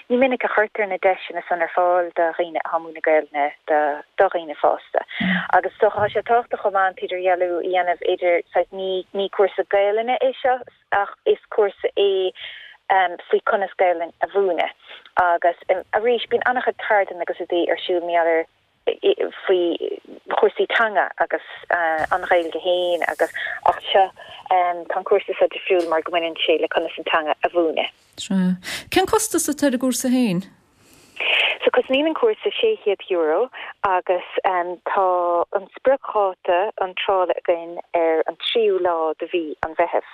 Speaker 9: ní minic a chuirtear na deiseanna san ar fáil do dhaoine atá ag múineadh Gaelainne do do dhaoine fásta. Agus so tá sé tábhachtach chomh maith an t-idirdhealú a dhéanamh idir ní ní cúrsa Gaelainne é seo ach is cúrsa é um, faoi conas Gaelainn a mhúineadh. Agus um, arís bíonn an-chuid ceardlann agus rudaí ar siúl maidir faoi chúrsaí teanga agus uh, an Ghaeilge féin agus ach seo um, tá cúrsa seo difriúil mar go mbaineann sé le conas an teanga a mhúineadh.
Speaker 1: Cén costas atá ar an gcúrsa féin?
Speaker 9: So cosnaíonn an cúrsa sé chéad euro agus um, tá an spriocdháta iontrála againn ar an tríú lá de mhí an Mheithimh.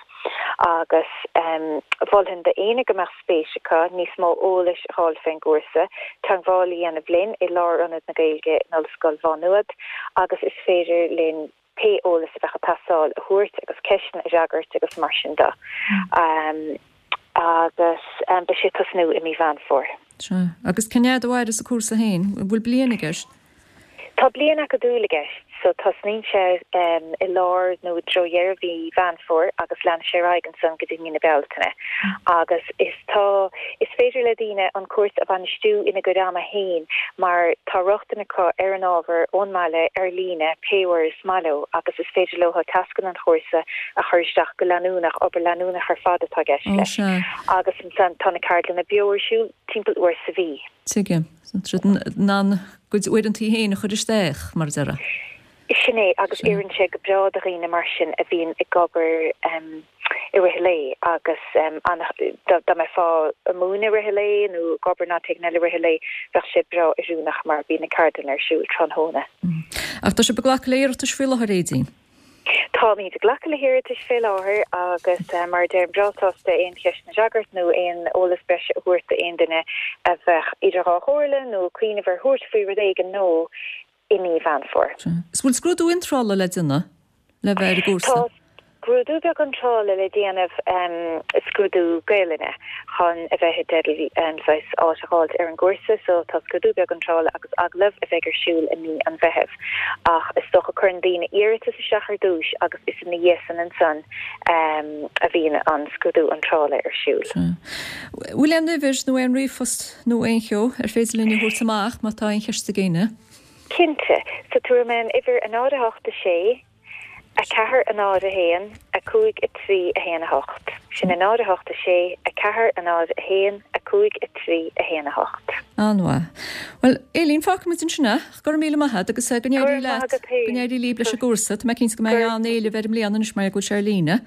Speaker 9: Agus um, mholfainn d'éinne go mbeadh spéis acu níos mó eolais a fháil fén gcúrsa, teagmháil a dhéanamh linn i Lárionad na Gaeilge in Ollscoil Mhá Nuad agus is féidir linn pé eolas a bheadh ag teastáil a thabhairt agus ceisteanna a fhreagairt agus mar sin de. Um, agus um, beidh sé ag tosnú i mí Mheán Fómhair.
Speaker 1: Sea. Agus cén fhad a mhaireas an cúrsa féin, bhfuil bliain i gceist?
Speaker 9: Tá bliain acadúil i gceist, so tosnaíonn sé um, i lár nó i dtreo dheireadh mhí Mheán Fómhair agus lean sé ar aghaidh ansan go dtí mí na Bealtaine. Agus is tá is féidir le daoine an cúrsa a bhainistiú ina gcuid ama féin mar tá rochtain acu ar an ábhar ón mbaile ar líne pé uair is maith leo agus is féidir leo tascanna an chúrsa a chur isteach go leanúnach obair leanúnach ar fad atá i gceist
Speaker 1: Ó
Speaker 9: leis.
Speaker 1: sea.
Speaker 9: Agus ansan tá na ceardlanna beo ar siúl timpeall uair sa mhí.
Speaker 1: Tuigim. In ann a gcuid uaireanta féin a chur isteach mar a déarfá.
Speaker 9: Sin é agus oireann sé go breá do dhaoine mar sin a bhíonn ag obair um, i rith an lae agus um, dá mbeifeá ag múineadh i rith an lae nó ag obair in áit éigin eile i rith an lae bheadh sé breá oiriúnach mar bíonn na ceardlanna ar siúl tráthnóna.
Speaker 1: Ach tá sibh ag glacadh le hiarratais faoi láthair Aedín.
Speaker 9: Táimid ag glacadh le hiarratais fé láthair agus mar a deirim breá sásta aon cheisteanna a fhreagairt nó aon eolas breise a thabhairt d'aon duine a bheadh idir dhá chomhairle nó ag cuimhneamh ar thabhairt faoi rud éigin nó i mí Mheán Fómhair.
Speaker 1: Is bhfuil scrúdú iontrála le déanamh le bheith ar an gcúrsa?
Speaker 9: Tá scrúdú beag iontrála le déanamh, scrúdú Gaelainne, chun a bheith i dteideal saghas áit a fháilt ar an gcúrsa so tá scrúdú beag iontrála agus agallamh a bheidh ar siúl i mí an Mheithimh. Ach is dócha cuireann daoine iarratas isteach ar dtúis agus is ina dhiaidh san ansan a bhíonn an scrúdú iontrála ar siúl.
Speaker 1: Bhfuil aon uimhir nó aon ríomhphost nó aon cheo ar féidir linn a thabhairt amach má tá aon cheist ag éinne?
Speaker 9: Cinnte. So tabharfaidh mé an uimhir a náid a hocht a sé. a ceathair a náid a haon, a cúig a trí a haon a hocht. Sin a náid a hocht a sé, a ceathair a náid a haon, a cúig a trí a haon a hocht.
Speaker 1: An-mhaith. Bhuel, Aileen, fágfaidh muid ansin é. Go raibh míle maith agat agus go n-éirí leat, go n-éirí libh leis an gcúrsa. Tá mé cinnte go mbeidh an-éileamh air i mbliana anois mar go bhfuil sé ar líne.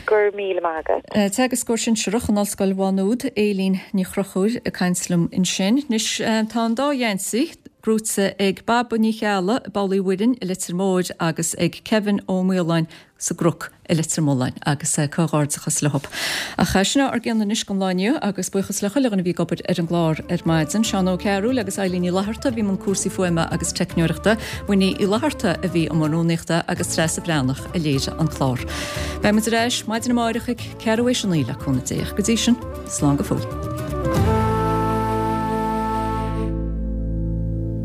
Speaker 9: Go raibh míle maith agat.
Speaker 1: Teagascóir sinsearach in Ollscoil Mhá Nuad, Aileen Ní Chonchúir ag caint liom ansin. Anois tá an dá gheansaí. Gnóthaithe ag Baba Ní Cheallaigh i bPoll Uí Mhuirinn i Leitir Móir agus ag Kevin Ó Maoláin sa gCnoc i Leitir Mealláin agus comhghairdeachas leo. Ach sin ár gcion anois don lá inniu agus buíochas le chuile dhuine a bhí ag obair ar an gclár ar maidin, Seán Ó Cearúil agus Eilín Ní Fhlatharta a bhí i mbun cúrsaí fuaime agus teicneoireachta, Winnie Uí Fhlatharta a bhí i mbun rúnaíochta agus Treasa Bhreathnach a léirigh an clár. Beidh muid ar ais maidin amárach ag ceathrú théis a naoi le cúnamh Dé. Go dtí sin, slán go fóill.